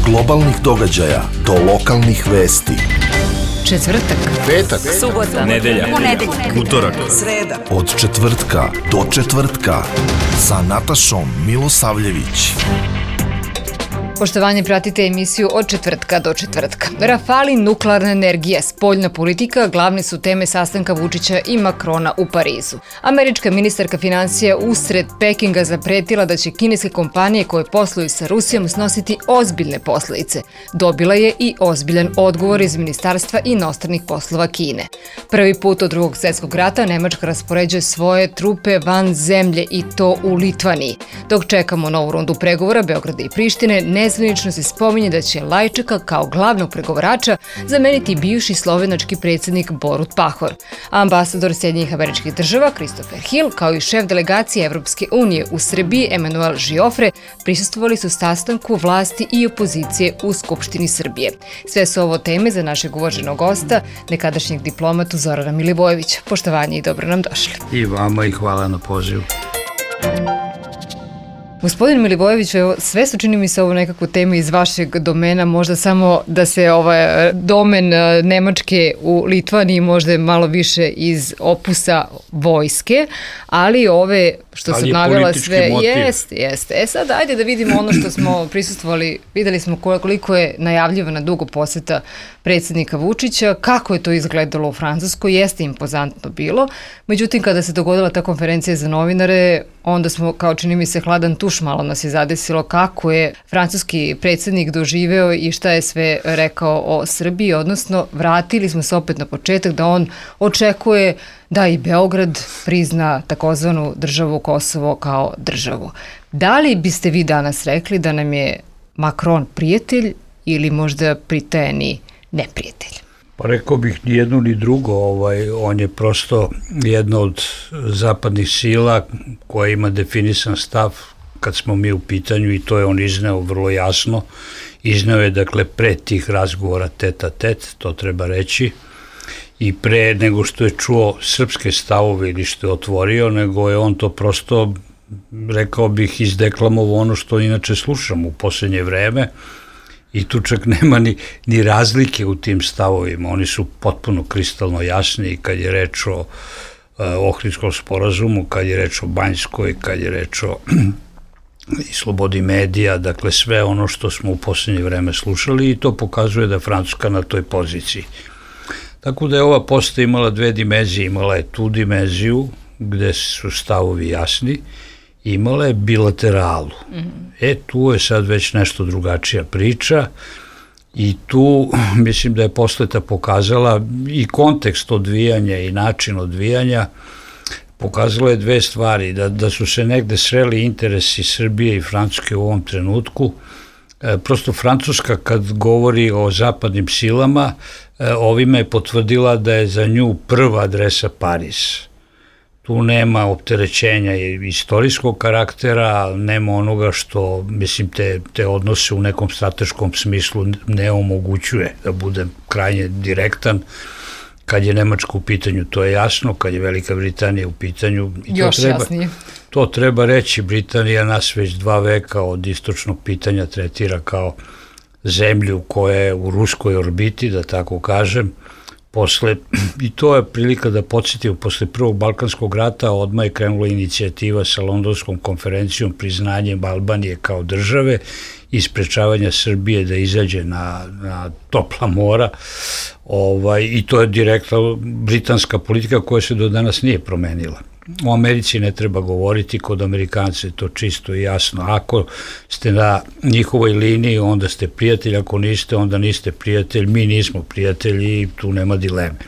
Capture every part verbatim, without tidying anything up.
globalnih događaja do lokalnih vesti. Četvrtak, petak, subota, nedelja, ponedeljak, utorak, sreda. Od četvrtka do četvrtka sa Natašom Milosavljević. Poštovanje, pratite emisiju Od četvrtka do četvrtka. Rafali, nuklearna energija, spoljna politika glavne su teme sastanka Vučića i Makrona u Parizu. Američka ministarka finansija usred Pekinga zapretila da će kineske kompanije koje posluju sa Rusijom snositi ozbiljne posledice. Dobila je i ozbiljan odgovor iz Ministarstva inostranih poslova Kine. Prvi put od drugog svjetskog rata Nemačka raspoređuje svoje trupe van zemlje i to u Litvaniji. Dok čekamo novu rundu pregovora Beograda i Prištine, nezvanično se spominje da će Lajčaka kao glavnog pregovarača zameniti bivši slovenački predsjednik Borut Pahor. Ambasador Sjedinjenih Američkih Država Christopher Hill kao i šef delegacije Evropske unije u Srbiji Emanuel Žiofre prisustvovali su sastanku vlasti i opozicije u Skupštini Srbije. Sve su ovo teme za našeg uvaženog gosta, nekadašnjeg diplomatu Zorana Milivojevića. Poštovanje i dobro nam došli. I vama i hvala na pozivu. Gospodin Milivojević, sve su, čini mi se, ovo nekako teme iz vašeg domena, možda samo da se ovaj domen Nemačke u Litvaniji možda malo više iz opusa vojske, ali ove što sam navela sve, jeste, jeste. E sad, ajde da vidimo ono što smo prisustvovali, videli smo koliko je najavljivana dugo poseta predsjednika Vučića, kako je to izgledalo u Francuskoj, jeste impozantno bilo, međutim kada se dogodila ta konferencija za novinare, onda smo, kao čini mi se, hladan tuš malo nas je zadesilo kako je francuski predsjednik doživeo i šta je sve rekao o Srbiji, odnosno vratili smo se opet na početak da on očekuje da i Beograd prizna takozvanu državu Kosovo kao državu. Da li biste vi danas rekli da nam je Makron prijatelj ili možda pritajeni neprijatelj? Pa rekao bih ni jedno ni drugo, ovaj, on je prosto jedna od zapadnih sila koja ima definisan stav kad smo mi u pitanju i to je on izneo vrlo jasno. Izneo je, dakle, pre tih razgovora tet a tet, to treba reći, i pre nego što je čuo srpske stavove ili što je otvorio, nego je on to prosto, rekao bih, izdeklamovao ono što inače slušamo u posljednje vreme. I tu čak nema ni, ni razlike u tim stavovima, oni su potpuno kristalno jasni kad je reč o e, Ohridskom sporazumu, kad je reč o Banjskoj, kad je reč o i slobodi medija, dakle sve ono što smo u posljednje vreme slušali i to pokazuje da je Francuska na toj poziciji. Tako da je ova poseta imala dve dimenzije, imala je tu dimenziju gde su stavovi jasni, imala je bilateralu. Mm-hmm. E, tu je sad već nešto drugačija priča i tu mislim da je poseta pokazala i kontekst odvijanja i način odvijanja, pokazala je dve stvari, da, da su se negde sreli interesi Srbije i Francuske u ovom trenutku. E, prosto Francuska kad govori o zapadnim silama, e, ovime je potvrdila da je za nju prva adresa Pariz. Tu nema opterećenja istorijskog karaktera, nema onoga što, mislim, te, te odnose u nekom strateškom smislu ne omogućuje, da budem krajnje direktan. Kad je Nemačka u pitanju, to je jasno, kad je Velika Britanija u pitanju, i to još treba, jasnije. To treba reći, Britanija nas već dva veka od istočnog pitanja tretira kao zemlju koja je u ruskoj orbiti, da tako kažem. Posle, i to je prilika da podsjetimo, posle prvog Balkanskog rata odmah je krenula inicijativa sa Londonskom konferencijom priznanjem Albanije kao države i sprečavanja Srbije da izađe na, na topla mora, ovaj, i to je direktna britanska politika koja se do danas nije promenila. U Americi ne treba govoriti, kod Amerikanca je to čisto i jasno. Ako ste na njihovoj liniji, onda ste prijatelj, ako niste, onda niste prijatelj, mi nismo prijatelji i tu nema dileme.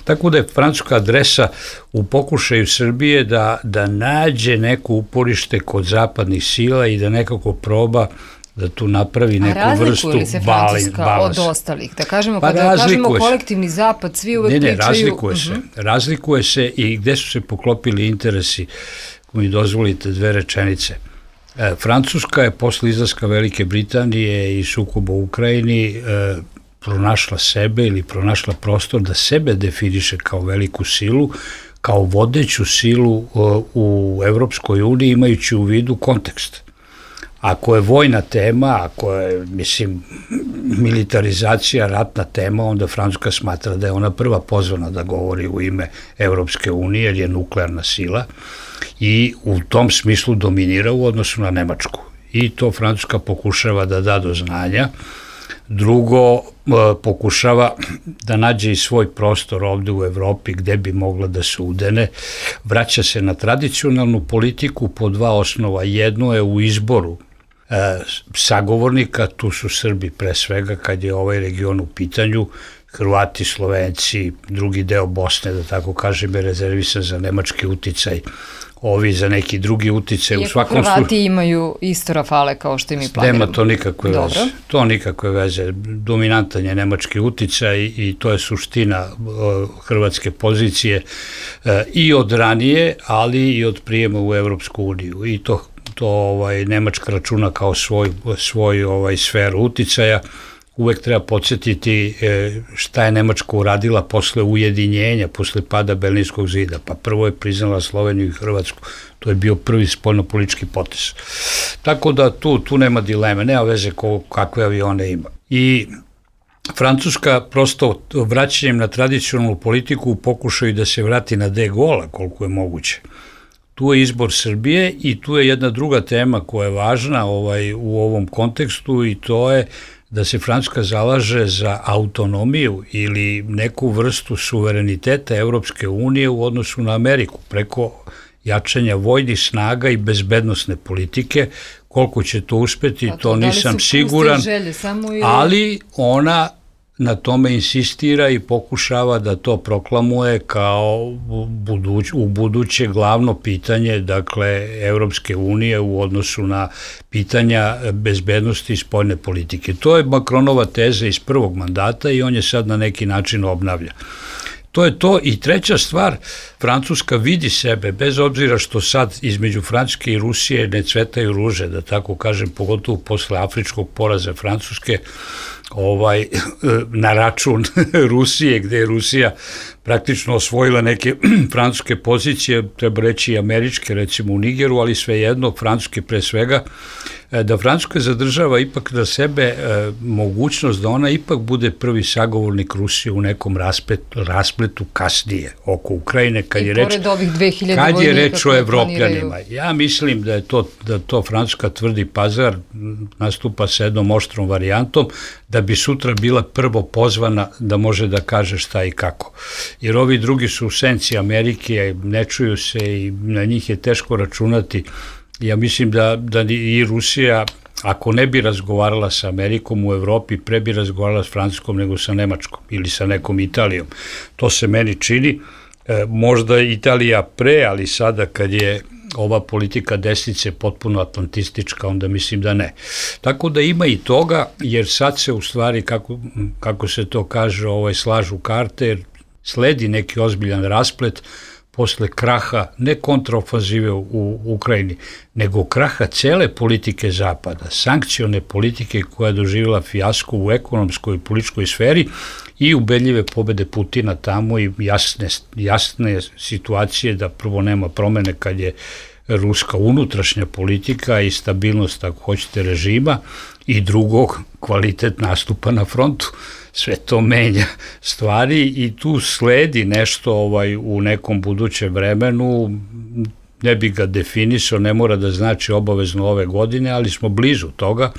Tako da je francuska adresa u pokušaju Srbije da, da nađe neko uporište kod zapadnih sila i da nekako proba da tu napravi neku vrstu balans. A razlikuje li se Francuska od ostalih? Da kažemo, pa kada kažemo kolektivni zapad, svi uvek pričaju... Ne, ne, razlikuje uh-huh. se. Razlikuje se i gde su se poklopili interesi, ako mi dozvolite dve rečenice. E, Francuska je posle izlaska Velike Britanije i sukoba u Ukrajini e, pronašla sebe ili pronašla prostor da sebe definiše kao veliku silu, kao vodeću silu e, u Evropskoj uniji, imajući u vidu kontekst. Ako je vojna tema, ako je, mislim, militarizacija, ratna tema, onda Francuska smatra da je ona prva pozvana da govori u ime Evropske unije, jer je nuklearna sila i u tom smislu dominira u odnosu na Nemačku. I to Francuska pokušava da da do znanja. Drugo, pokušava da nađe i svoj prostor ovde u Evropi gde bi mogla da se udene. Vraća se na tradicionalnu politiku po dva osnova. Jedno je u izboru e, sagovornika, tu su Srbi pre svega kad je ovaj region u pitanju, Hrvati, Slovenci, drugi deo Bosne, da tako kažem, je rezervisan za nemački uticaj, ovi za neki drugi uticaj. Iako Hrvati slu... imaju isto Rafale kao što i mi planiramo. Nema to nikakve Dobro. veze. To nikakve veze. Dominantan je nemački uticaj i to je suština uh, hrvatske pozicije uh, i od ranije, ali i od prijema u Evropsku uniju. I to, to ovaj, Nemačka računa kao svoj, svoj ovaj, sferu uticaja. Uvek treba podsjetiti šta je Nemačka uradila posle ujedinjenja, posle pada Berlinskog zida. Pa prvo je priznala Sloveniju i Hrvatsku. To je bio prvi spoljnopolitički potez. Tako da tu, tu nema dileme, nema veze ko, kakve avione ima. I Francuska prosto vraćanjem na tradicionalnu politiku pokušaju da se vrati na de Gaulle koliko je moguće. Tu je izbor Srbije i tu je jedna druga tema koja je važna ovaj, u ovom kontekstu i to je da se Francuska zalaže za autonomiju ili neku vrstu suvereniteta Evropske unije u odnosu na Ameriku preko jačanja vojnih snaga i bezbednosne politike. Koliko će to uspeti, to, to nisam siguran, želje, samo ili... ali ona na tome insistira i pokušava da to proklamuje kao buduć, u buduće glavno pitanje, dakle, Evropske unije u odnosu na pitanja bezbednosti i spoljne politike. To je Macronova teza iz prvog mandata i on je sad na neki način obnavlja. To je to. I treća stvar, Francuska vidi sebe, bez obzira što sad između Francuske i Rusije ne cvetaju ruže, da tako kažem, pogotovo posle afričkog poraza Francuske, ovaj, na račun Rusije, gde je Rusija praktično osvojila neke francuske pozicije, treba reći i američke, recimo u Nigeru, ali svejedno, francuske pre svega, da Francuska zadržava ipak na sebe e, mogućnost da ona ipak bude prvi sagovornik Rusije u nekom raspletu, raspletu kasnije oko Ukrajine, kad I je reč, kad je reč o Evropljanima. Ja mislim da je to, da to Francuska tvrdi pazar, nastupa sa jednom oštrom varijantom, da bi sutra bila prvo pozvana da može da kaže šta i kako. Jer ovi drugi su u senci Amerike, ne čuju se i na njih je teško računati. Ja mislim da, da i Rusija, ako ne bi razgovarala sa Amerikom u Evropi, pre bi razgovarala s Francuskom nego sa Nemačkom ili sa nekom Italijom. To se meni čini. E, možda Italija pre, ali sada kad je ova politika desnice potpuno atlantistička, onda mislim da ne. Tako da ima i toga, jer sad se u stvari, kako, kako se to kaže, ovaj, slažu karte, jer sledi neki ozbiljan rasplet posle kraha, ne kontraofanzive u Ukrajini, nego kraha cele politike Zapada, sankcione politike koja je doživjela fijasko u ekonomskoj i političkoj sferi i ubedljive pobede Putina tamo i jasne, jasne situacije da prvo nema promene kad je ruska unutrašnja politika i stabilnost, ako hoćete, režima i drugog, kvalitet nastupa na frontu. Sve to menja stvari i tu sledi nešto ovaj, u nekom budućem vremenu, ne bi ga definisao, ne mora da znači obavezno ove godine, ali smo blizu toga,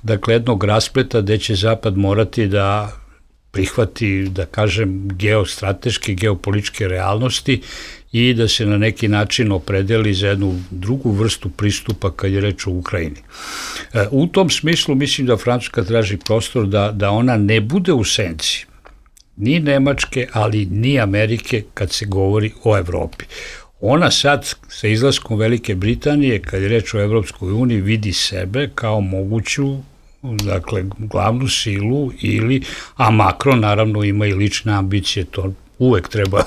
dakle jednog raspleta gde će Zapad morati da prihvati, da kažem, geostrateške, geopolitičke realnosti i da se na neki način opredeli za jednu drugu vrstu pristupa kad je reč o Ukrajini. U tom smislu mislim da Francuska traži prostor da, da ona ne bude u senci ni Nemačke, ali ni Amerike kad se govori o Evropi. Ona sad sa izlaskom Velike Britanije, kad je reč o Evropskoj uniji, vidi sebe kao moguću, dakle, glavnu silu ili, a Macron naravno ima i lične ambicije, to uvek treba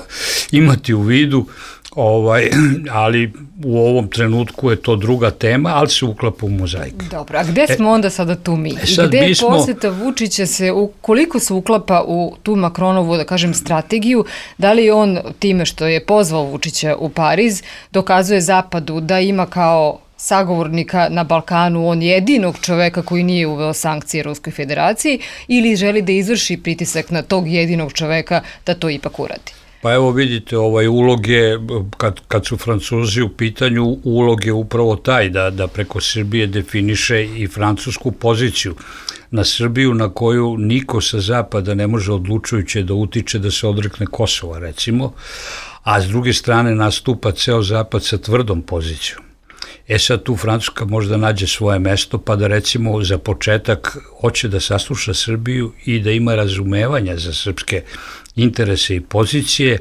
imati u vidu, ovaj, ali u ovom trenutku je to druga tema, ali se uklapa u mozaik. Dobro, a gde smo e, onda sada tu mi? I gde smo... poseta Vučića se, u, koliko se uklapa u tu Macronovu, da kažem, strategiju, da li on time što je pozvao Vučića u Pariz, dokazuje Zapadu da ima kao sagovornika na Balkanu, on jedinog čoveka koji nije uveo sankcije Ruskoj federaciji, ili želi da izvrši pritisak na tog jedinog čoveka da to ipak uradi? Pa evo vidite, ovaj ulog je, kad, kad su Francuzi u pitanju, ulog je upravo taj da, da preko Srbije definiše i francusku poziciju na Srbiju, na koju niko sa zapada ne može odlučujuće da utiče da se odrekne Kosova, recimo, a s druge strane nastupa ceo zapad sa tvrdom pozicijom. E sad tu Francuska možda nađe svoje mesto, pa da recimo za početak hoće da sasluša Srbiju i da ima razumevanja za srpske interese i pozicije,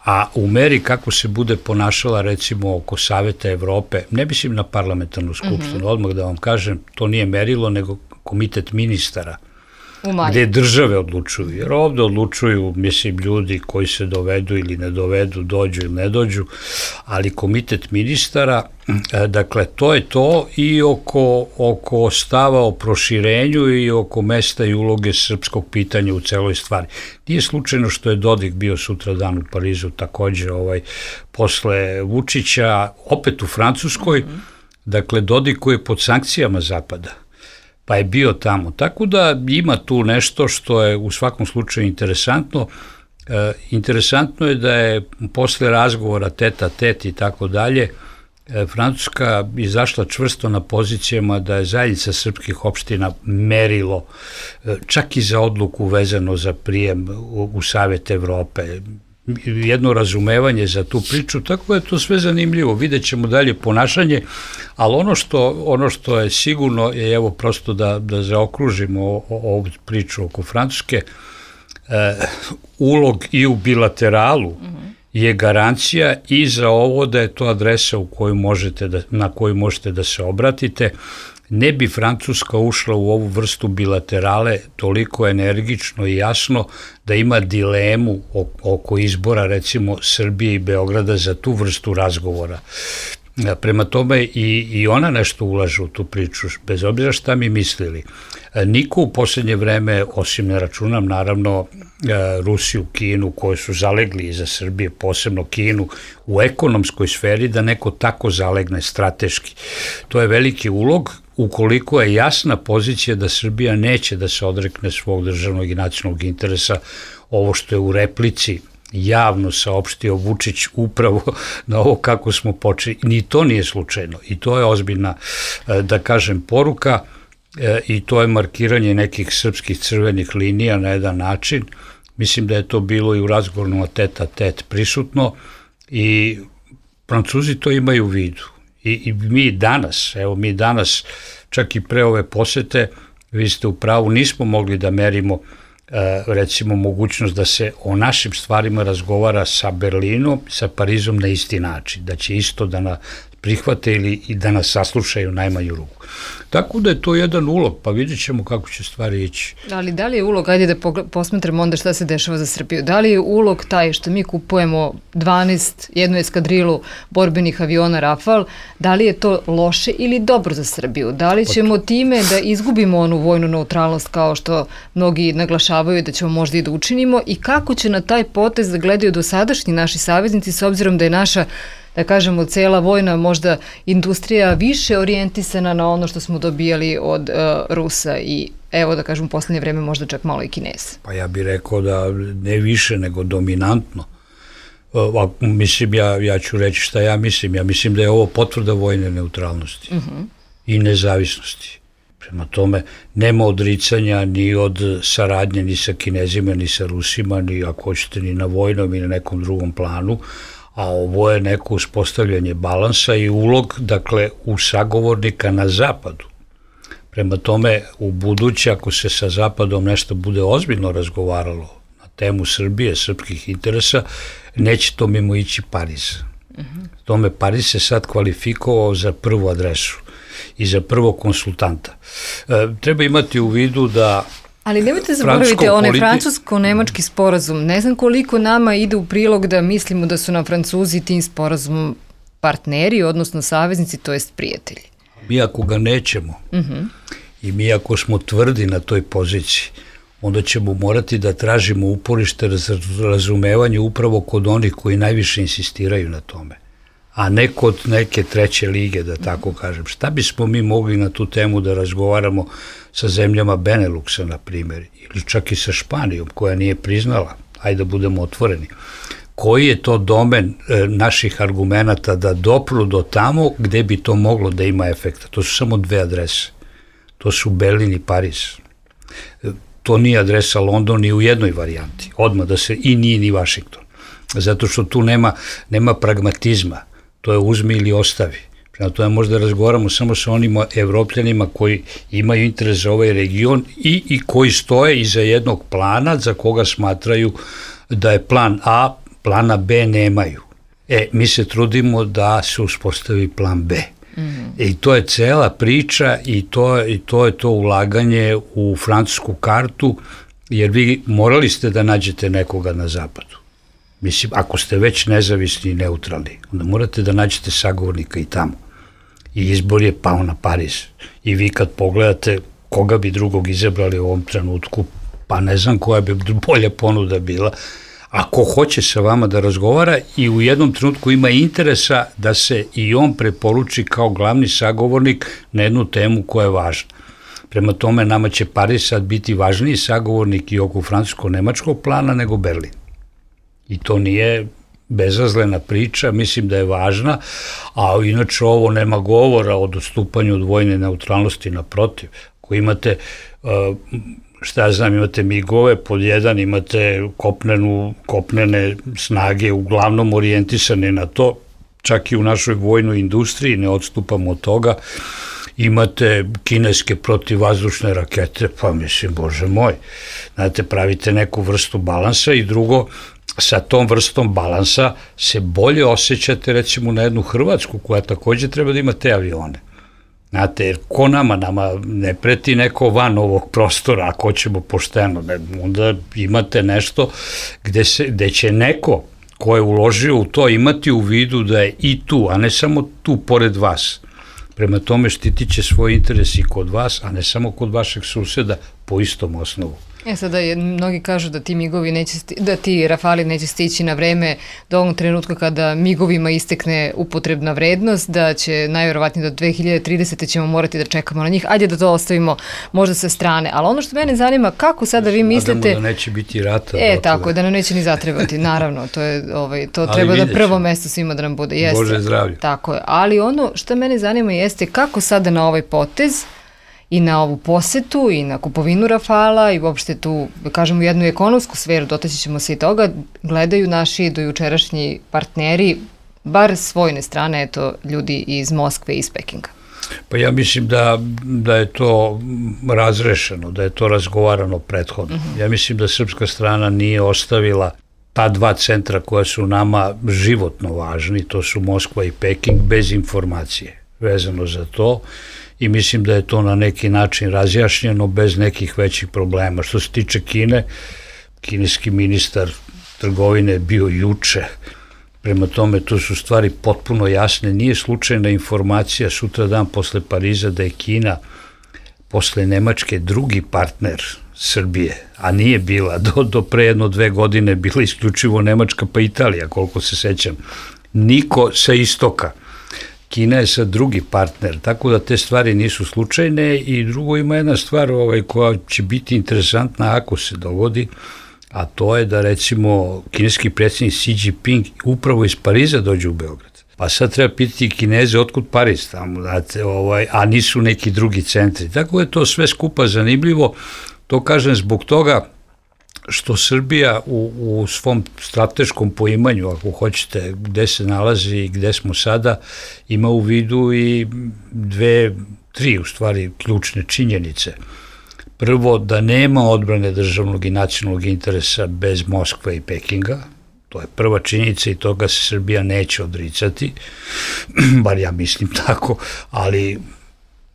a u meri kako se bude ponašala recimo oko Saveta Evrope, ne mislim na parlamentarnu skupštinu, mm-hmm. odmah da vam kažem, to nije merilo, nego komitet ministara, gde države odlučuju, jer ovde odlučuju, mislim, ljudi koji se dovedu ili ne dovedu, dođu ili ne dođu, ali komitet ministara, dakle, to je to i oko, oko stava o proširenju i oko mesta i uloge srpskog pitanja u celoj stvari. Nije slučajno što je Dodik bio sutra dan u Parizu, takođe ovaj, posle Vučića, opet u Francuskoj, mm-hmm. dakle, Dodik koji je pod sankcijama Zapada, pa je bio tamo. Tako da ima tu nešto što je u svakom slučaju interesantno. E, interesantno je da je posle razgovora teta tet i tako dalje, Francuska izašla čvrsto na pozicijama da je zajednica srpskih opština merilo, čak i za odluku vezano za prijem u, u Savet Evrope, jedno razumevanje za tu priču, tako je to sve zanimljivo, vidjet ćemo dalje ponašanje, ali ono što, ono što je sigurno je, evo prosto da, da zaokružimo ovu priču oko Francuske, e, ulog i u bilateralu mm-hmm. je garancija i za ovo da je to adresa u koju možete da, na koju možete da se obratite. Ne bi Francuska ušla u ovu vrstu bilaterale toliko energično i jasno da ima dilemu oko izbora recimo Srbije i Beograda za tu vrstu razgovora. Prema tome i, i ona nešto ulaže u tu priču, bez obzira šta mi mislili. Niko u posljednje vreme, osim ne računam naravno Rusiju, Kinu, koje su zalegli iza Srbije, posebno Kinu, u ekonomskoj sferi, da neko tako zalegne strateški. To je veliki ulog, ukoliko je jasna pozicija da Srbija neće da se odrekne svog državnog i nacionalnog interesa, ovo što je u replici javno saopštio Vučić upravo na ovo kako smo počeli. Ni to nije slučajno i to je ozbiljna, da kažem, poruka i to je markiranje nekih srpskih crvenih linija na jedan način. Mislim da je to bilo i u razgovorima teta tet prisutno i Francuzi to imaju u vidu. I, i mi danas, evo mi danas, čak i pre ove posete, vi ste u pravu, nismo mogli da merimo recimo mogućnost da se o našim stvarima razgovara sa Berlinom, sa Parizom na isti način, da će isto da nas prihvate ili i da nas saslušaju najmanju ruku. Tako da je to jedan ulog, pa vidjet ćemo kako će stvari ići. Ali da li je ulog, ajde da posmetramo onda šta se dešava za Srbiju, da li je ulog taj što mi kupujemo dvanaest, jednu eskadrilu borbenih aviona Rafal, da li je to loše ili dobro za Srbiju? Da li ćemo time da izgubimo onu vojnu neutralnost kao što mnogi naglašavaju da ćemo možda i da učinimo i kako će na taj potez da gledaju dosadašnji naši saveznici s obzirom da je naša, da kažemo, cela vojna možda industrija više orijentisana na ono što smo dobijali od uh, Rusa i evo da kažem u poslednje vreme možda čak malo i Kinesa. Pa ja bih rekao da ne više nego dominantno. Uh, mislim, ja, ja ću reći šta ja mislim. Ja mislim da je ovo potvrda vojne neutralnosti uh-huh. i nezavisnosti. Prema tome, nema odricanja ni od saradnje ni sa Kinezima, ni sa Rusima, ni ako hoćete ni na vojnom i na nekom drugom planu, a ovo je neko uspostavljanje balansa i ulog, dakle, u sagovornika na zapadu. Prema tome, u buduće, ako se sa zapadom nešto bude ozbiljno razgovaralo na temu Srbije, srpskih interesa, neće to mimo ići Pariz. Uh-huh. Tome Pariz se sad kvalifikovao za prvu adresu i za prvog konsultanta. E, treba imati u vidu da ali nemojte zaboraviti, onaj politi... francusko-nemački sporazum, ne znam koliko nama ide u prilog da mislimo da su nam Francuzi tim sporazumom partneri, odnosno saveznici, to jest prijatelji. Mi ako ga nećemo uh-huh. i mi ako smo tvrdi na toj poziciji, onda ćemo morati da tražimo uporište razumevanje upravo kod onih koji najviše insistiraju na tome, a ne kod neke treće lige, da tako kažem. Šta bismo mi mogli na tu temu da razgovaramo sa zemljama Beneluxa, na primjer, ili čak i sa Španijom, koja nije priznala, ajde da budemo otvoreni. Koji je to domen e, naših argumenata da dopru do tamo gde bi to moglo da ima efekta? To su samo dve adrese. To su Berlin i Pariz. E, to nije adresa London ni u jednoj varijanti. Odmah da se, i nije ni Washington. Zato što tu nema, nema pragmatizma. To je uzmi ili ostavi. Prema tome možda razgovaramo samo sa onima Evropljanima koji imaju interes za ovaj region i, i koji stoje iza jednog plana za koga smatraju da je plan A, plana B nemaju. E, mi se trudimo da se uspostavi plan B. Mm-hmm. I to je cela priča i to, i to je to ulaganje u francusku kartu, jer vi morali ste da nađete nekoga na zapadu. Mislim, ako ste već nezavisni i neutralni, onda morate da nađete sagovornika i tamo. I izbor je pao na Pariz. I vi kad pogledate koga bi drugog izabrali u ovom trenutku, pa ne znam koja bi bolja ponuda bila, ako hoće sa vama da razgovara i u jednom trenutku ima interesa da se i on preporuči kao glavni sagovornik na jednu temu koja je važna. Prema tome, nama će Pariz sad biti važniji sagovornik i oko francusko-nemačkog plana nego Berlin. I to nije bezazlena priča, mislim da je važna, a inače ovo nema govora o dostupanju od vojne neutralnosti, naprotiv. Ako imate, šta ja znam, imate migove, pod jedan imate kopnenu, kopnene snage, uglavnom orijentisane na to, čak i u našoj vojnoj industriji, ne odstupamo od toga, imate kineske protivvazdušne rakete, pa mislim, bože moj, znate, pravite neku vrstu balansa i drugo, sa tom vrstom balansa se bolje osjećate recimo na jednu Hrvatsku koja takođe treba da ima te avione. Znate, jer ko nama, nama ne preti neko van ovog prostora, ako ćemo pošteno, ne, onda imate nešto gde, se, gde će neko ko je uložio u to imati u vidu da je i tu, a ne samo tu pored vas. Prema tome štitit će svoj interes i kod vas, a ne samo kod vašeg suseda po istom osnovu. E sada, je, mnogi kažu da ti migovi neće, sti, da ti Rafali neće stići na vreme do onog trenutka kada migovima istekne upotrebna vrednost, da će najverovatnije do dve hiljade tridesete ćemo morati da čekamo na njih. Ajde da to ostavimo možda sa strane. Ali ono što mene zanima, kako sada vi mislite... Nadamo da neće biti rata. E, tako je, da nam neće ni zatrebati, naravno. To, je, ovaj, to treba da prvo mesto svima da nam bude. Jeste. Bože zdravlje. Tako je. Ali ono što mene zanima jeste kako sada na ovaj potez i na ovu posetu i na kupovinu Rafala i uopšte tu, da kažemo, jednu ekonomsku sferu, dotaći ćemo se i toga, gledaju naši dojučerašnji partneri, bar s vojne strane, eto, ljudi iz Moskve i iz Pekinga. Pa ja mislim da, da je to razrešeno, da je to razgovarano prethodno. Uh-huh. Ja mislim da srpska strana nije ostavila ta dva centra koja su nama životno važni, to su Moskva i Peking, bez informacije vezano za to. I mislim da je to na neki način razjašnjeno bez nekih većih problema. Što se tiče Kine, kineski ministar trgovine bio juče, prema tome tu su stvari potpuno jasne. Nije slučajna informacija sutra dan posle Pariza da je Kina posle Nemačke drugi partner Srbije, a nije bila, do, do pre jedno dve godine bila isključivo Nemačka pa Italija, koliko se sećam. Niko sa istoka. Kina je sad drugi partner, tako da te stvari nisu slučajne i drugo ima jedna stvar ovaj, koja će biti interesantna ako se dogodi, a to je da recimo kineski predsjednik Xi Jinping upravo iz Pariza dođe u Beograd. Pa sad treba pitati Kineze otkud Pariz tamo, znate, ovaj, a nisu neki drugi centri. Tako je to sve skupa zanimljivo, to kažem zbog toga što Srbija u, u svom strateškom poimanju, ako hoćete, gde se nalazi i gde smo sada, ima u vidu i dve, tri u stvari ključne činjenice. Prvo, da nema odbrane državnog i nacionalnog interesa bez Moskve i Pekinga, to je prva činjenica i toga se Srbija neće odricati, bar ja mislim tako, ali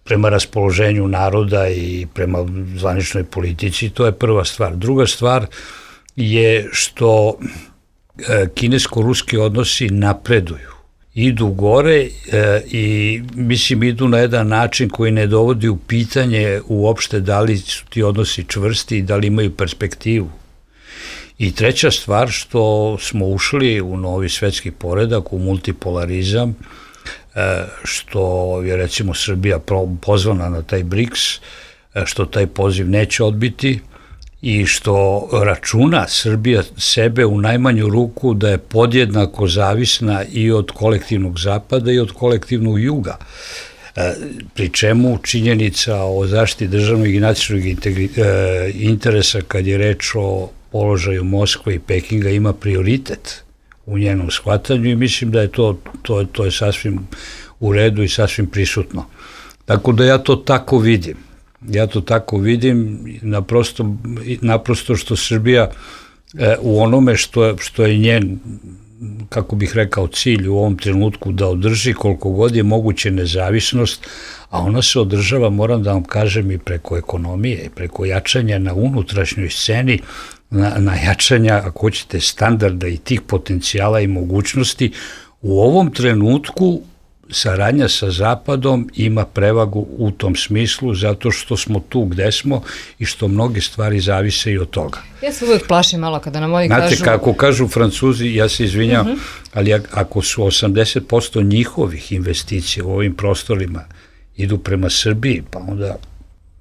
prema raspoloženju naroda i prema zvaničnoj politici, to je prva stvar. Druga stvar je što kinesko-ruski odnosi napreduju, idu gore i mislim idu na jedan način koji ne dovodi u pitanje uopšte da li su ti odnosi čvrsti i da li imaju perspektivu. I treća stvar, što smo ušli u novi svetski poredak, u multipolarizam, što je recimo Srbija pozvana na taj briks, što taj poziv neće odbiti i što računa Srbija sebe u najmanju ruku da je podjednako zavisna i od kolektivnog zapada i od kolektivnog juga. Pri čemu činjenica o zaštiti državnog i nacionalnog interesa kad je reč o položaju Moskve i Pekinga ima prioritet u njenom shvatanju i mislim da je to, to, to je sasvim u redu i sasvim prisutno. Tako da ja to tako vidim. Ja to tako vidim naprosto, naprosto što Srbija e, u onome što, što je njen, kako bih rekao, cilj u ovom trenutku da održi koliko god je moguće nezavisnost, a ona se održava, moram da vam kažem, i preko ekonomije, i preko jačanja na unutrašnjoj sceni, na, na jačanja, ako hoćete, standarda i tih potencijala i mogućnosti. U ovom trenutku saradnja sa Zapadom ima prevagu u tom smislu zato što smo tu gde smo i što mnoge stvari zavise i od toga. Ja se uvijek plašim malo kada nam oni Znate, kažu... Znate, kako kažu Francuzi, ja se izvinjam, uh-huh. ali ako su osamdeset posto njihovih investicija u ovim prostorima idu prema Srbiji, pa onda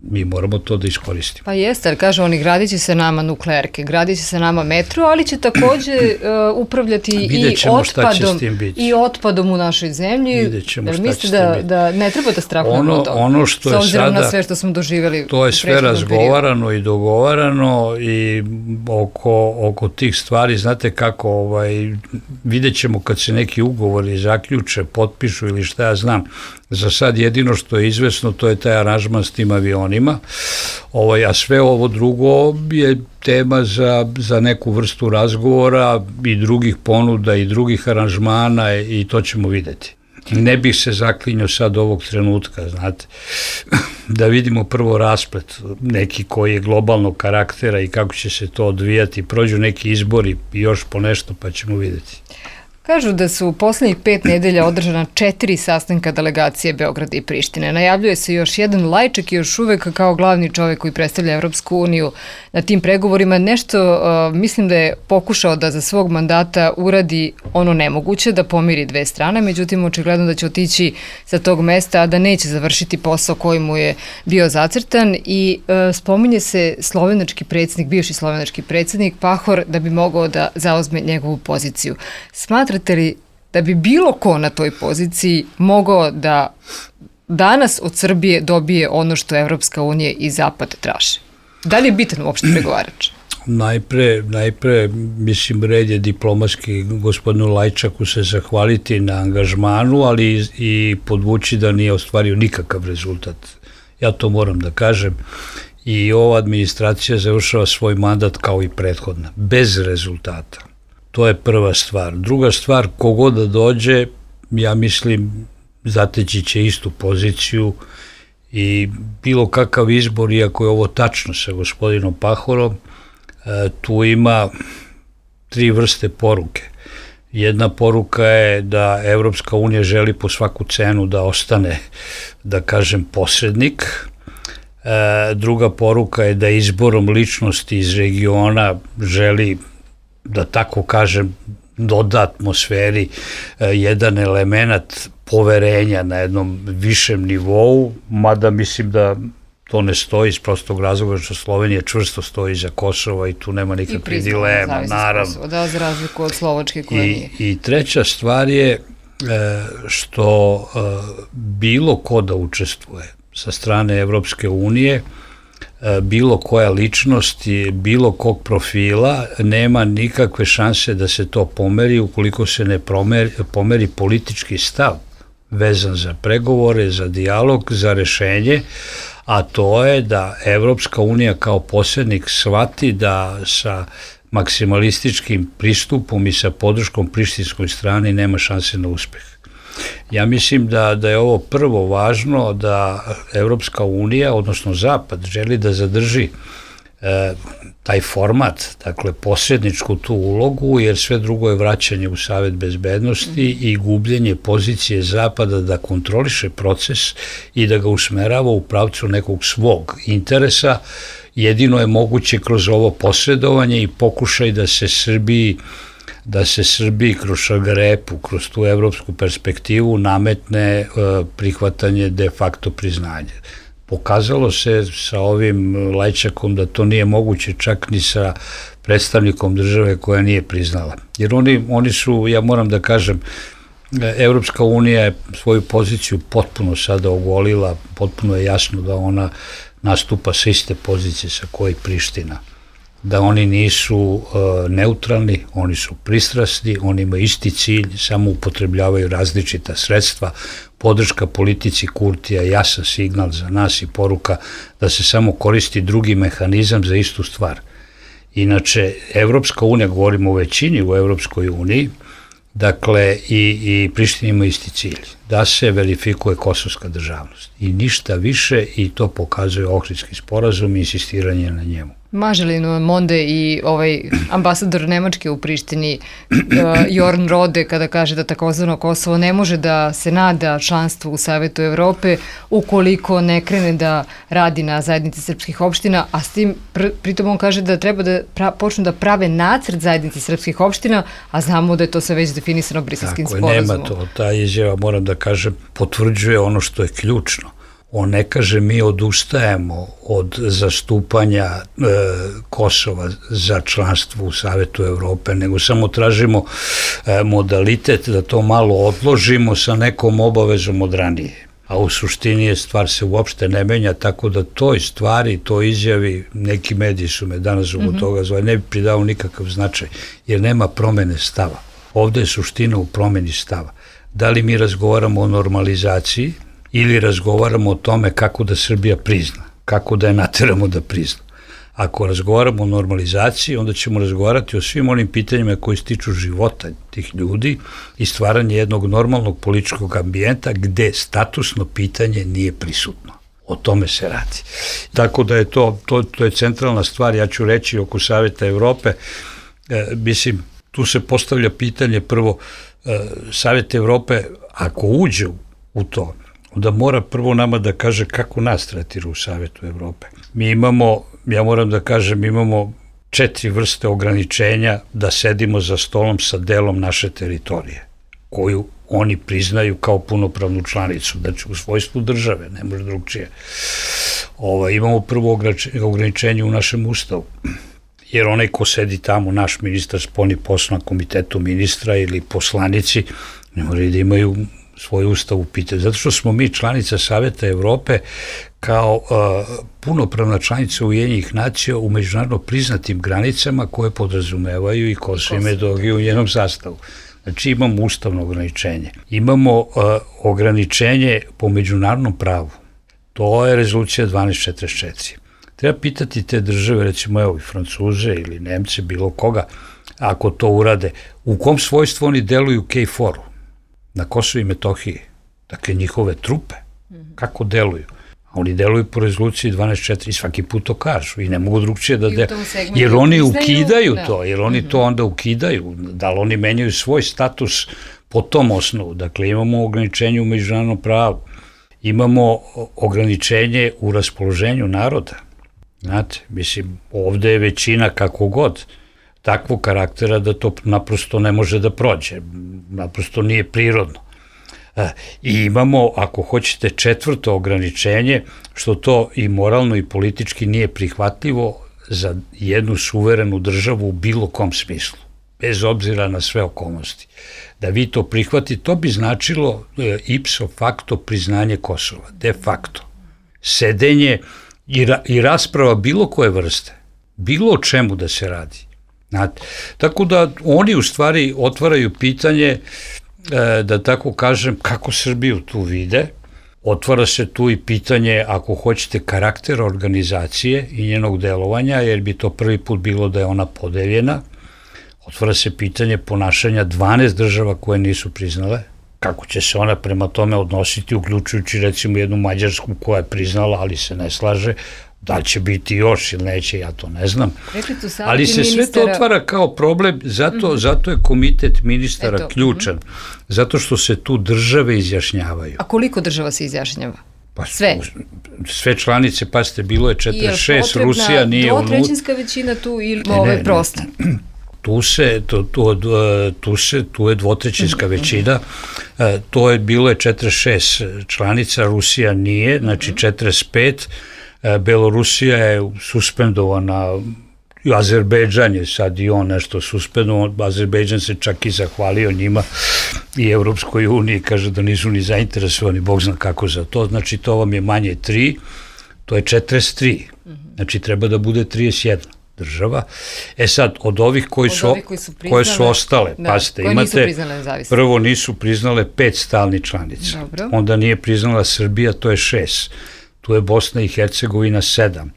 mi moramo to da iskoristimo. Pa jeste, ali kažu oni, gradit će se nama nuklearke, gradit će se nama metro, ali će takođe uh, upravljati i otpadom, i otpadom u našoj zemlji. Vidjet ćemo šta će da, biti. Da ne treba da strahujemo ono, od toga, ono što je s obzirom sada, na sve što smo doživjeli. To je sve razgovarano periodu. I dogovarano i oko, oko tih stvari, znate kako, ovaj, vidjet ćemo kad se neki ugovori zaključe, potpišu ili šta ja znam. Za sad jedino što je izvesno to je taj aranžman s tim avionima, ovaj, a sve ovo drugo je tema za, za neku vrstu razgovora i drugih ponuda i drugih aranžmana i to ćemo videti. Ne bih se zaklinjao sad ovog trenutka, znate, da vidimo prvo rasplet neki koji je globalnog karaktera i kako će se to odvijati, prođu neki izbori i još po nešto pa ćemo videti. Kažu da su u poslednjih pet nedelja održana četiri sastanka delegacije Beograda i Prištine. Najavljuje se još jedan. Lajčak je još uvek kao glavni čovek koji predstavlja Evropsku uniju na tim pregovorima. Nešto uh, mislim da je pokušao da za svog mandata uradi ono nemoguće, da pomiri dve strane, međutim očigledno da će otići sa tog mesta, a da neće završiti posao koji mu je bio zacrtan i uh, spominje se slovenački predsjednik, bivši slovenački predsjednik Pahor da bi mogao da zauzme njegovu poziciju. Smatra li da bi bilo ko na toj poziciji mogao da danas od Srbije dobije ono što Evropska unija i Zapad traže? Da li je bitan uopšte pregovarač? Najpre, najpre, mislim, red je diplomatski gospodinu Lajčaku se zahvaliti na angažmanu, ali i podvući da nije ostvario nikakav rezultat. Ja to moram da kažem. I ova administracija završava svoj mandat kao i prethodna, bez rezultata. To je prva stvar. Druga stvar, kogod da dođe, ja mislim, zateći će istu poziciju i bilo kakav izbor, iako je ovo tačno sa gospodinom Pahorom, tu ima tri vrste poruke. Jedna poruka je da Evropska unija želi po svaku cenu da ostane, da kažem, posrednik. Druga poruka je da izborom ličnosti iz regiona želi, da tako kažem, doda atmosferi jedan element poverenja na jednom višem nivou, mada mislim da to ne stoji iz prostog razloga što Slovenija čvrsto stoji za Kosova i tu nema nikakve dilema, naravno. Kosova, da, za razliku od Slovačke koja I, nije. I treća stvar je što bilo ko da učestvuje sa strane Evropske unije, bilo koja ličnost i bilo kog profila nema nikakve šanse da se to pomeri ukoliko se ne pomeri, pomeri politički stav vezan za pregovore, za dijalog, za rešenje, a to je da Evropska unija kao posrednik shvati da sa maksimalističkim pristupom i sa podrškom prištinskoj strani nema šanse na uspeh. Ja mislim da, da je ovo prvo važno, da Evropska unija, odnosno Zapad, želi da zadrži e, taj format, dakle posredničku tu ulogu, jer sve drugo je vraćanje u Savet bezbednosti i gubljenje pozicije Zapada da kontroliše proces i da ga usmerava u pravcu nekog svog interesa, jedino je moguće kroz ovo posredovanje i pokušaj da se Srbiji da se Srbiji kroz šargarepu, kroz tu evropsku perspektivu nametne prihvatanje de facto priznanja. Pokazalo se sa ovim Lajčakom da to nije moguće čak ni sa predstavnikom države koja nije priznala. Jer oni, oni su, ja moram da kažem, Evropska unija je svoju poziciju potpuno sada ogolila, potpuno je jasno da ona nastupa sa iste pozicije sa koje Priština. Da oni nisu uh, neutralni, oni su pristrasni, oni imaju isti cilj, samo upotrebljavaju različita sredstva. Podrška politici Kurtija je jasan signal za nas i poruka da se samo koristi drugi mehanizam za istu stvar. Inače, Evropska unija, govorimo o većini u Evropskoj uniji, dakle, i, i Priština ima isti cilj, da se verifikuje kosovska državnost. I ništa više, i to pokazuje Ohridski sporazum i insistiranje na njemu. Maže li nam onda i ovaj ambasador Nemačke u Prištini, uh, Jorn Rode, kada kaže da takozvano Kosovo ne može da se nada članstvu u Savetu Evrope ukoliko ne krene da radi na zajednici srpskih opština, a s tim pr pritom on kaže da treba da pra počnu da prave nacrt zajednici srpskih opština, a znamo da je to sve već definisano Briselskim sporazumom. Tako je, nema to. Ta izjava, moram da kažem, potvrđuje ono što je ključno. On ne kaže mi odustajemo od zastupanja e, Kosova za članstvo u Savetu Evrope, nego samo tražimo e, modalitet da to malo odložimo sa nekom obavezom od ranije. A u suštini je stvar se uopšte ne menja, tako da toj stvari, toj izjavi, neki mediji su me danas zbog mm-hmm. toga zvali, ne bi pridao nikakav značaj, jer nema promene stava. Ovde je suština u promeni stava. Da li mi razgovaramo o normalizaciji, ili razgovaramo o tome kako da Srbija prizna, kako da je nateramo da prizna. Ako razgovaramo o normalizaciji, onda ćemo razgovarati o svim onim pitanjima koji se tiču života tih ljudi i stvaranje jednog normalnog političkog ambijenta gde statusno pitanje nije prisutno. O tome se radi. Tako da je to, to, to je centralna stvar, ja ću reći oko Saveta Evrope, e, mislim, tu se postavlja pitanje prvo, e, Savet Evrope, ako uđe u to, onda mora prvo nama da kaže kako nas tretira u Savetu Evrope. Mi imamo, ja moram da kažem, imamo četiri vrste ograničenja da sedimo za stolom sa delom naše teritorije, koju oni priznaju kao punopravnu članicu, znači u svojstvu države, ne može drugčije. Ovo, imamo prvo ograničenje u našem ustavu, jer onaj ko sedi tamo, naš ministar spoljnih poslova na komitetu ministra ili poslanici, ne moraju da imaju svoj ustav u pitanju. Zato što smo mi članica Saveta Evrope kao uh, punopravna članica Ujedinjenih nacija u međunarodno priznatim granicama koje podrazumevaju i Kosovo i Metohiju u njenom sastavu. Znači imamo ustavno ograničenje. Imamo uh, ograničenje po međunarodnom pravu. To je rezolucija dvanaest četrdeset četiri. Treba pitati te države, recimo evo i Francuze ili Nemce, bilo koga, ako to urade, u kom svojstvu oni deluju u K F O R-u? Na Kosovo i Metohiji, dakle njihove trupe, kako deluju. A oni deluju po rezoluciji dvanaest četiri i svaki put to kažu i ne mogu drugčije da deluju. Jer oni ukidaju to, jer oni to onda ukidaju, da li oni menjaju svoj status po tom osnovu. Dakle, imamo ograničenje u međunarodnom pravu, imamo ograničenje u raspoloženju naroda. Znate, mislim, ovde je većina kako god, takvog karaktera da to naprosto ne može da prođe, naprosto nije prirodno. I imamo, ako hoćete, četvrto ograničenje, što to i moralno i politički nije prihvatljivo za jednu suverenu državu u bilo kom smislu, bez obzira na sve okolnosti. Da vi to prihvatite, to bi značilo ipso facto priznanje Kosova, de facto. Sedenje i, ra i rasprava bilo koje vrste, bilo o čemu da se radi. Znate, tako da oni u stvari otvaraju pitanje, e, da tako kažem, kako Srbiju tu vide. Otvara se tu i pitanje, ako hoćete, karaktera organizacije i njenog delovanja, jer bi to prvi put bilo da je ona podeljena. Otvara se pitanje ponašanja dvanaest država koje nisu priznale, kako će se ona prema tome odnositi, uključujući recimo jednu Mađarsku koja je priznala, ali se ne slaže. Da li će biti još ili neće, ja to ne znam. Ali se sve to otvara kao problem, zato, mm-hmm. zato je komitet ministara Eto, ključan, mm-hmm. zato što se tu države izjašnjavaju. A koliko država se izjašnjava? Pa, sve? Sve članice, pa ste, bilo je četrdeset šest, Rusija nije unutra. Je dvotrećinska većina tu ili ovo je prosto? Tu se, tu, tu, tu se, tu je dvotrećinska većina, to je bilo je četrdeset šest članica, Rusija nije, znači četrdeset pet, Belorusija je suspendovana, Azerbejdžan je sad i on nešto suspendovan, Azerbejdžan se čak i zahvalio njima i Evropskoj uniji, kaže da nisu ni zainteresovani, Bog zna kako za to, znači to vam je manje tri, to je četrdeset tri, znači treba da bude trideset jedna država. E sad, od ovih koji, od su, ovih koji su priznale, koje su ostale, da, pasite, imate, nisu prvo nisu priznale pet stalnih članica, dobro. Onda nije priznala Srbija, to je šest, tu je Bosna i Hercegovina sedam,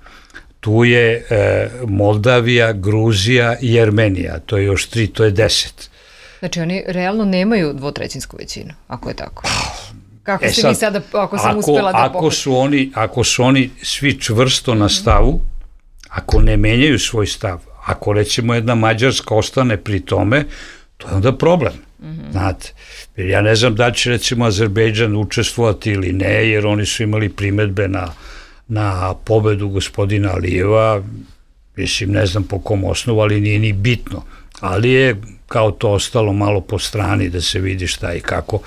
tu je e, Moldavija, Gruzija i Jermenija, to je još tri, to je deset. Znači oni realno nemaju dvotrećinsku većinu, ako je tako. Kako e ste sad, vi sada, ako sam ako, uspela da ako su, oni, ako su oni svi čvrsto na stavu, ako ne menjaju svoj stav, ako recimo jedna Mađarska ostane pri tome, to je onda problem. Mm-hmm. Znate, jer ja ne znam da će recimo Azerbejdžan učestvovati ili ne, jer oni su imali primetbe na, na pobedu gospodina Alijeva, mislim ne znam po kom osnovu, ali nije ni bitno, ali je kao to ostalo malo po strani da se vidi šta i kako.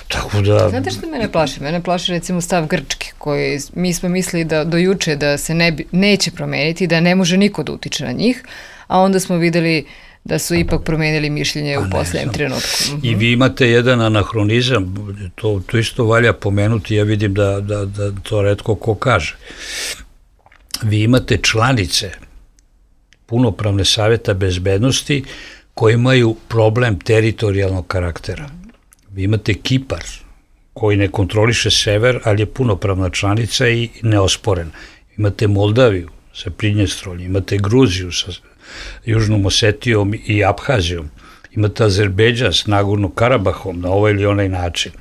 Tako da... Znate što mene plaši? Mene plaši recimo stav Grčke, koji mi smo mislili da do juče da se ne bi, neće promeniti, da ne može niko da utiče na njih, a onda smo videli da su ipak promenili mišljenje u posljednjem trenutku. I vi imate jedan anahronizam, to, to isto valja pomenuti, ja vidim da, da, da to retko ko kaže. Vi imate članice punopravne savjeta bezbednosti koji imaju problem teritorijalnog karaktera. Vi imate Kipar, koji ne kontroliše sever, ali je punopravna članica i neosporena. Imate Moldaviju sa Pridnjestroljem, imate Gruziju sa Južnom Osetijom i Abhazijom, imate Azerbejdžan s Nagorno-Karabahom na ovaj ili onaj način.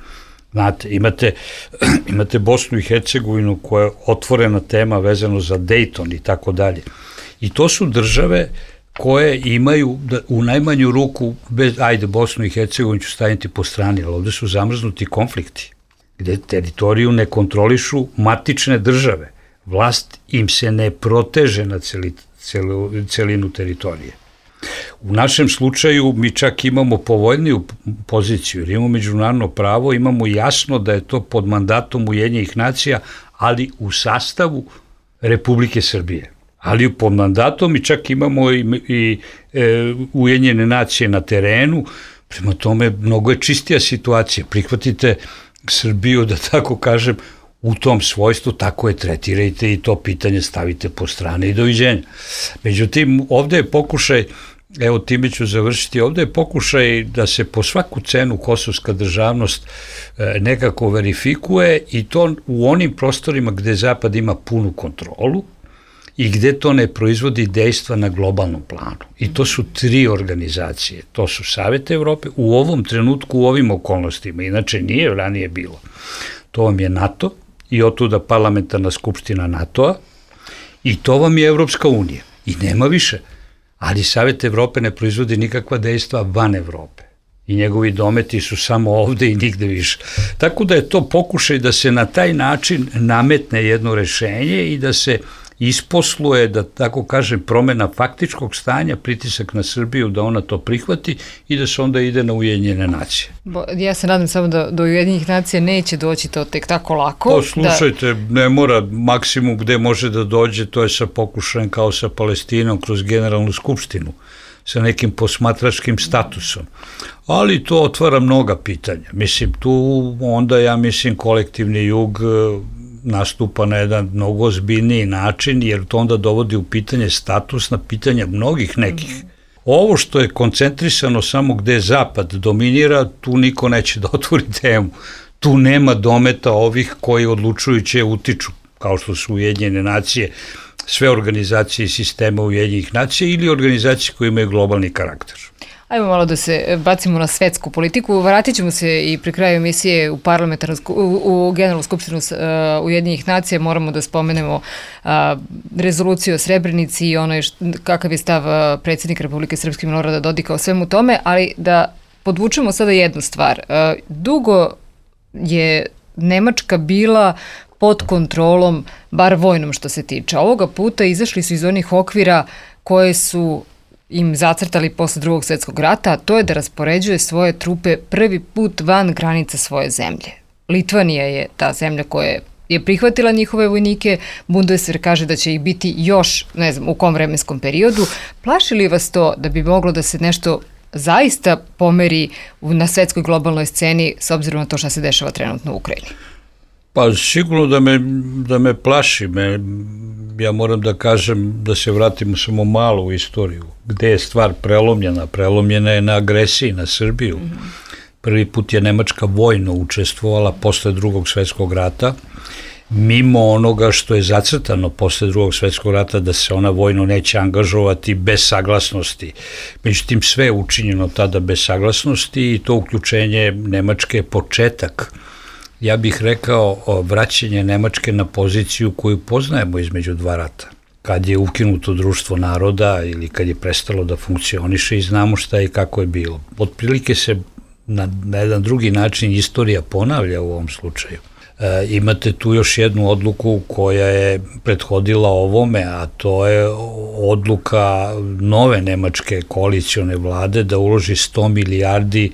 Znate, imate, imate Bosnu i Hercegovinu koja je otvorena tema vezano za Dayton i tako dalje. I to su države koje imaju u najmanju ruku, bez, ajde Bosnu i Hercegovinu ću staviti po strani, ali ovde su zamrznuti konflikti, gde teritoriju ne kontrolišu matične države. Vlast im se ne proteže na celi, celu, celinu teritorije. U našem slučaju mi čak imamo povoljniju poziciju, jer imamo međunarodno pravo, imamo jasno da je to pod mandatom Ujedinjenih nacija, ali u sastavu Republike Srbije. Ali pod mandatom i čak imamo i, i e, Ujedinjene nacije na terenu, prema tome mnogo je čistija situacija. Prihvatite Srbiju, da tako kažem, u tom svojstvu, tako je tretirajte i to pitanje stavite po strane i doviđenja. Međutim, ovde je pokušaj, evo time ću završiti, ovde je pokušaj da se po svaku cenu kosovska državnost e, nekako verifikuje i to u onim prostorima gde Zapad ima punu kontrolu i gde to ne proizvodi dejstva na globalnom planu. I to su tri organizacije. To su Savet Evrope u ovom trenutku, u ovim okolnostima. Inače nije ranije bilo. To vam je NATO i otuda parlamentarna skupština NATO-a i to vam je Evropska unija. I nema više. Ali Savet Evrope ne proizvodi nikakva dejstva van Evrope. I njegovi dometi su samo ovde i nigde više. Tako da je to pokušaj da se na taj način nametne jedno rešenje i da se isposluje, da tako kažem, promena faktičkog stanja, pritisak na Srbiju da ona to prihvati i da se onda ide na Ujedinjene nacije. Bo, ja se nadam samo da do Ujedinjenih nacija neće doći to tek tako lako. To slušajte, da... ne mora, maksimum gde može da dođe, to je sa pokušajem kao sa Palestinom kroz generalnu skupštinu, sa nekim posmatračkim statusom. Ali to otvara mnoga pitanja. Mislim, tu onda ja mislim kolektivni jug nastupa na jedan mnogo ozbiljniji način, jer to onda dovodi u pitanje status na pitanja mnogih nekih. Mm-hmm. Ovo što je koncentrisano samo gde Zapad dominira, tu niko neće da otvori temu. Tu nema dometa ovih koji odlučujuće utiču, kao što su Ujedinjene nacije, sve organizacije i sistema Ujedinjenih nacija ili organizacije koje imaju globalni karakter. Ajmo malo da se bacimo na svetsku politiku. Vratit ćemo se i pri kraju emisije u parlamentarnu, u, u generalnu skupštinu uh, Ujedinjenih nacija. Moramo da spomenemo uh, rezoluciju o Srebrenici i ono je št, kakav je stav uh, predsjednika Republike Srpske Milorada Dodika o svemu tome, ali da podvučemo sada jednu stvar. Uh, dugo je Nemačka bila pod kontrolom, bar vojnom što se tiče. Ovoga puta izašli su iz onih okvira koje su im zacrtali posle drugog svjetskog rata, a to je da raspoređuje svoje trupe prvi put van granica svoje zemlje. Litvanija je ta zemlja koja je prihvatila njihove vojnike, Bundeswehr kaže da će ih biti još, ne znam, u kom vremenskom periodu. Plaši li vas to da bi moglo da se nešto zaista pomeri na svetskoj globalnoj sceni s obzirom na to što se dešava trenutno u Ukrajini? Pa sigurno da me, da me plaši. Me, ja moram da kažem da se vratimo samo malo u istoriju. Gde je stvar prelomljena? Prelomljena je na agresiji na Srbiju. Mm-hmm. Prvi put je Nemačka vojno učestvovala posle drugog svjetskog rata, mimo onoga što je zacrtano posle drugog svjetskog rata da se ona vojno neće angažovati bez saglasnosti. Međutim, sve je učinjeno tada bez saglasnosti i to uključenje Nemačke je početak, ja bih rekao, vraćanje Nemačke na poziciju koju poznajemo između dva rata. Kad je ukinuto društvo naroda ili kad je prestalo da funkcioniše i znamo šta i kako je bilo. Otprilike se na, na jedan drugi način istorija ponavlja u ovom slučaju. E, imate tu još jednu odluku koja je prethodila ovome, a to je odluka nove nemačke koalicione vlade da uloži sto milijardi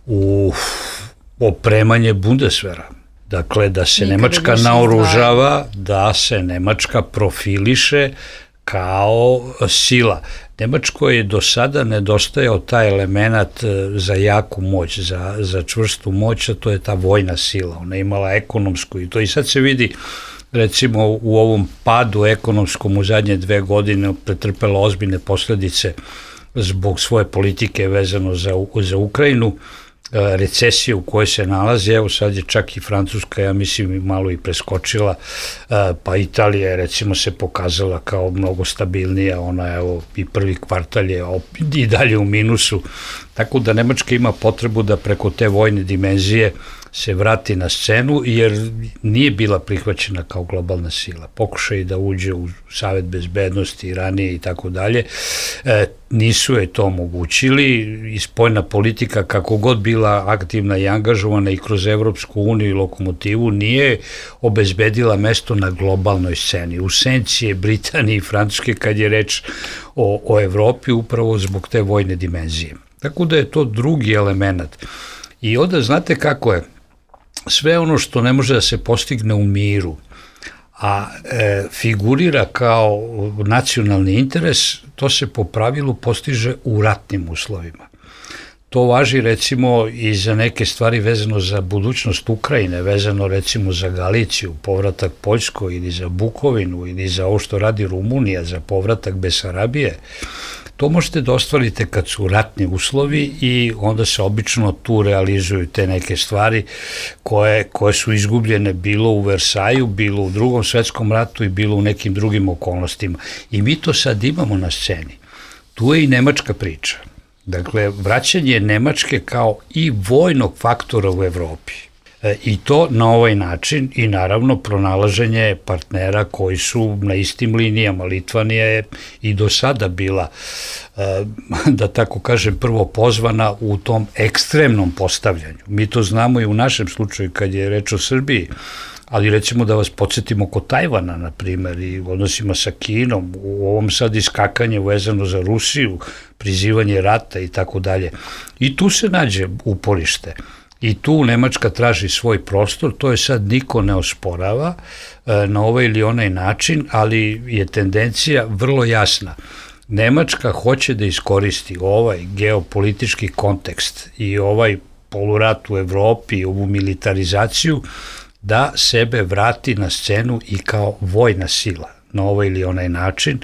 u opremanje Bundeswehra. Dakle, da se Nikada Nemačka naoružava, da se Nemačka profiliše kao sila. Nemačkoj je do sada nedostajao taj element za jaku moć, za, za čvrstu moć, a to je ta vojna sila. Ona je imala ekonomsku i to i sad se vidi, recimo u ovom padu ekonomskom u zadnje dve godine pretrpela ozbiljne posledice zbog svoje politike vezano za, za Ukrajinu, recesije u kojoj se nalazi, evo sad je čak i Francuska, ja mislim, malo i preskočila, pa Italija je recimo se pokazala kao mnogo stabilnija, ona evo i prvi kvartal je i dalje u minusu, tako da Nemačka ima potrebu da preko te vojne dimenzije se vrati na scenu, jer nije bila prihvaćena kao globalna sila. Pokušaj da uđe u Savet bezbednosti ranije i tako dalje, nisu je to omogućili i spoljna politika, kako god bila aktivna i angažovana i kroz Evropsku uniju i lokomotivu, nije obezbedila mesto na globalnoj sceni. U senci je Britanije i Francuske kad je reč o, o Evropi upravo zbog te vojne dimenzije. Tako da je to drugi element. I onda znate kako je, sve ono što ne može da se postigne u miru, a e, figurira kao nacionalni interes, to se po pravilu postiže u ratnim uslovima. To važi recimo i za neke stvari vezano za budućnost Ukrajine, vezano recimo za Galiciju, povratak Poljskoj ili za Bukovinu ili za ovo što radi Rumunija, za povratak Besarabije. To možete da ostvarite kad su ratni uslovi i onda se obično tu realizuju te neke stvari koje, koje su izgubljene bilo u Versaju, bilo u drugom svetskom ratu i bilo u nekim drugim okolnostima. I mi to sad imamo na sceni. Tu je i nemačka priča. Dakle, vraćanje Nemačke kao i vojnog faktora u Evropi. E, I to na ovaj način i naravno pronalaženje partnera koji su na istim linijama. Litvanija je i do sada bila, e, da tako kažem, prvo pozvana u tom ekstremnom postavljanju. Mi to znamo i u našem slučaju kad je reč o Srbiji, ali recimo da vas podsjetimo oko Tajvana, na primjer, i odnosima sa Kinom, u ovom sad iskakanje vezano za Rusiju, prizivanje rata i tako dalje. I tu se nađe uporište. I tu Nemačka traži svoj prostor, to je sad niko ne osporava e, na ovaj ili onaj način, ali je tendencija vrlo jasna. Nemačka hoće da iskoristi ovaj geopolitički kontekst i ovaj polurat u Evropi i ovu militarizaciju da sebe vrati na scenu i kao vojna sila na ovaj ili onaj način.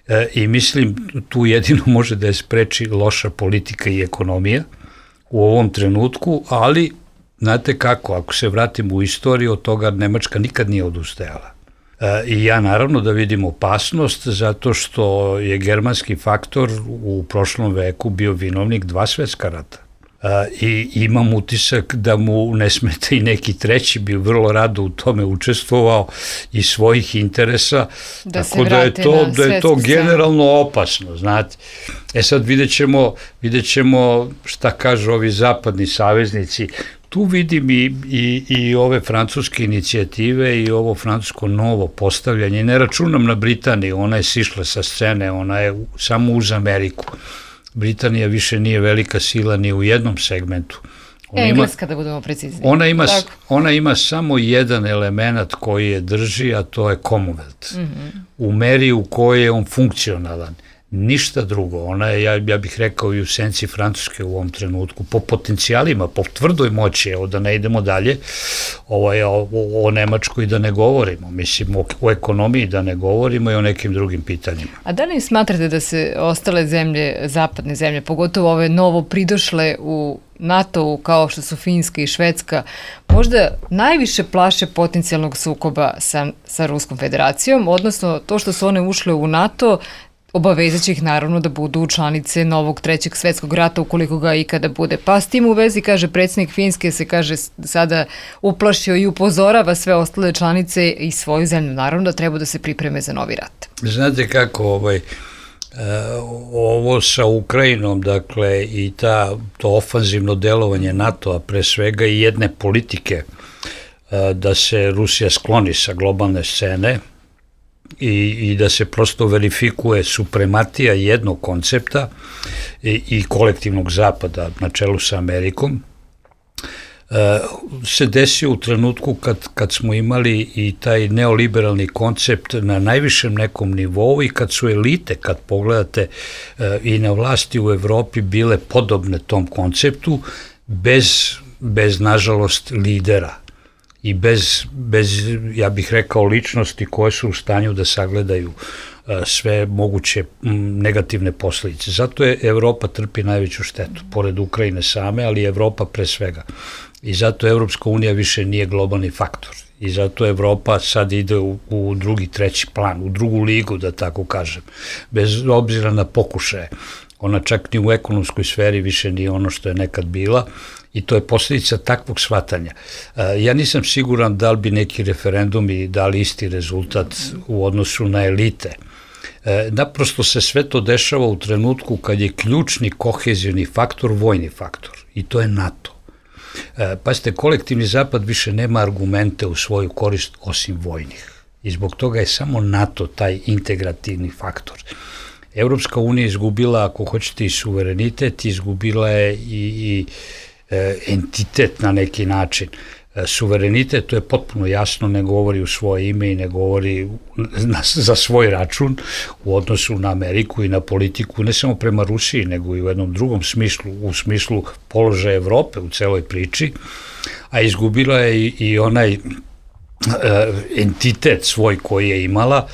E, I mislim tu jedino može da je spreči loša politika i ekonomija u ovom trenutku, ali znate kako, ako se vratimo u istoriju, od toga Nemačka nikad nije odustajala. E, I ja naravno da vidim opasnost zato što je germanski faktor u prošlom veku bio vinovnik dva svetska rata. E, I imam utisak da mu ne smeta i neki treći, bi vrlo rado u tome učestvovao iz svojih interesa, da tako da je to, da je to generalno opasno, znate. E sad vidjet ćemo, vidjet ćemo šta kažu ovi zapadni saveznici. tu vidim i, i, i ove francuske inicijative i ovo francusko novo postavljanje. Ne računam na Britaniju, ona je sišla sa scene, ona je samo uz Ameriku. Britanija više nije velika sila ni u jednom segmentu. Ona Engleska, ima, da budemo precizni. Ona ima, ona ima samo jedan element koji je drži, a to je Commonwealth. Mm-hmm. U meri u kojoj je on funkcionalan. Ništa drugo. Ona je, ja, ja bih rekao, i u senci Francuske u ovom trenutku, po potencijalima, po tvrdoj moći, evo da ne idemo dalje, ovaj, o, o Nemačkoj da ne govorimo, mislim, o, o ekonomiji da ne govorimo i o nekim drugim pitanjima. A da li smatrate da se ostale zemlje, zapadne zemlje, pogotovo ove novo pridošle u NATO-u, kao što su Finska i Švedska, možda najviše plaše potencijalnog sukoba sa, sa Ruskom federacijom, odnosno to što su one ušle u NATO, obavezaće ih naravno da budu članice novog trećeg svetskog rata ukoliko ga ikada bude. Pa s tim u vezi, kaže predsjednik Finske, se kaže sada uplašio i upozorava sve ostale članice i svoju zemlju, naravno da treba da se pripreme za novi rat. Znate kako, ovaj, ovo sa Ukrajinom, dakle, i ta, to ofanzivno delovanje NATO-a, pre svega i jedne politike da se Rusija skloni sa globalne scene, I, i da se prosto verifikuje suprematija jednog koncepta i, i kolektivnog zapada na čelu sa Amerikom, e, se desio u trenutku kad, kad smo imali i taj neoliberalni koncept na najvišem nekom nivou i kad su elite, kad pogledate e, i na vlasti u Evropi bile podobne tom konceptu, bez, bez nažalost lidera i bez, bez, ja bih rekao, ličnosti koje su u stanju da sagledaju uh, sve moguće m, negativne posljedice. Zato je Evropa trpi najveću štetu, pored Ukrajine same, ali Evropa pre svega. I zato Evropska unija više nije globalni faktor. I zato Evropa sad ide u, u drugi, treći plan, u drugu ligu, da tako kažem, bez obzira na pokušaje. Ona čak ni u ekonomskoj sferi više nije ono što je nekad bila, i to je posljedica takvog shvatanja. Ja nisam siguran da li bi neki referendumi dali isti rezultat u odnosu na elite. Naprosto se sve to dešava u trenutku kad je ključni kohezivni faktor vojni faktor, i to je NATO. Pazite, kolektivni zapad više nema argumente u svoju korist osim vojnih. I zbog toga je samo NATO taj integrativni faktor. Evropska unija izgubila, ako hoćete, i suverenitet, izgubila je i, i e, entitet na neki način. E, suverenitet, to je potpuno jasno, ne govori u svoje ime i ne govori na, za svoj račun u odnosu na Ameriku i na politiku, ne samo prema Rusiji, nego i u jednom drugom smislu, u smislu položaja Evrope u celoj priči, a izgubila je i, i onaj entitet svoj koji je imala.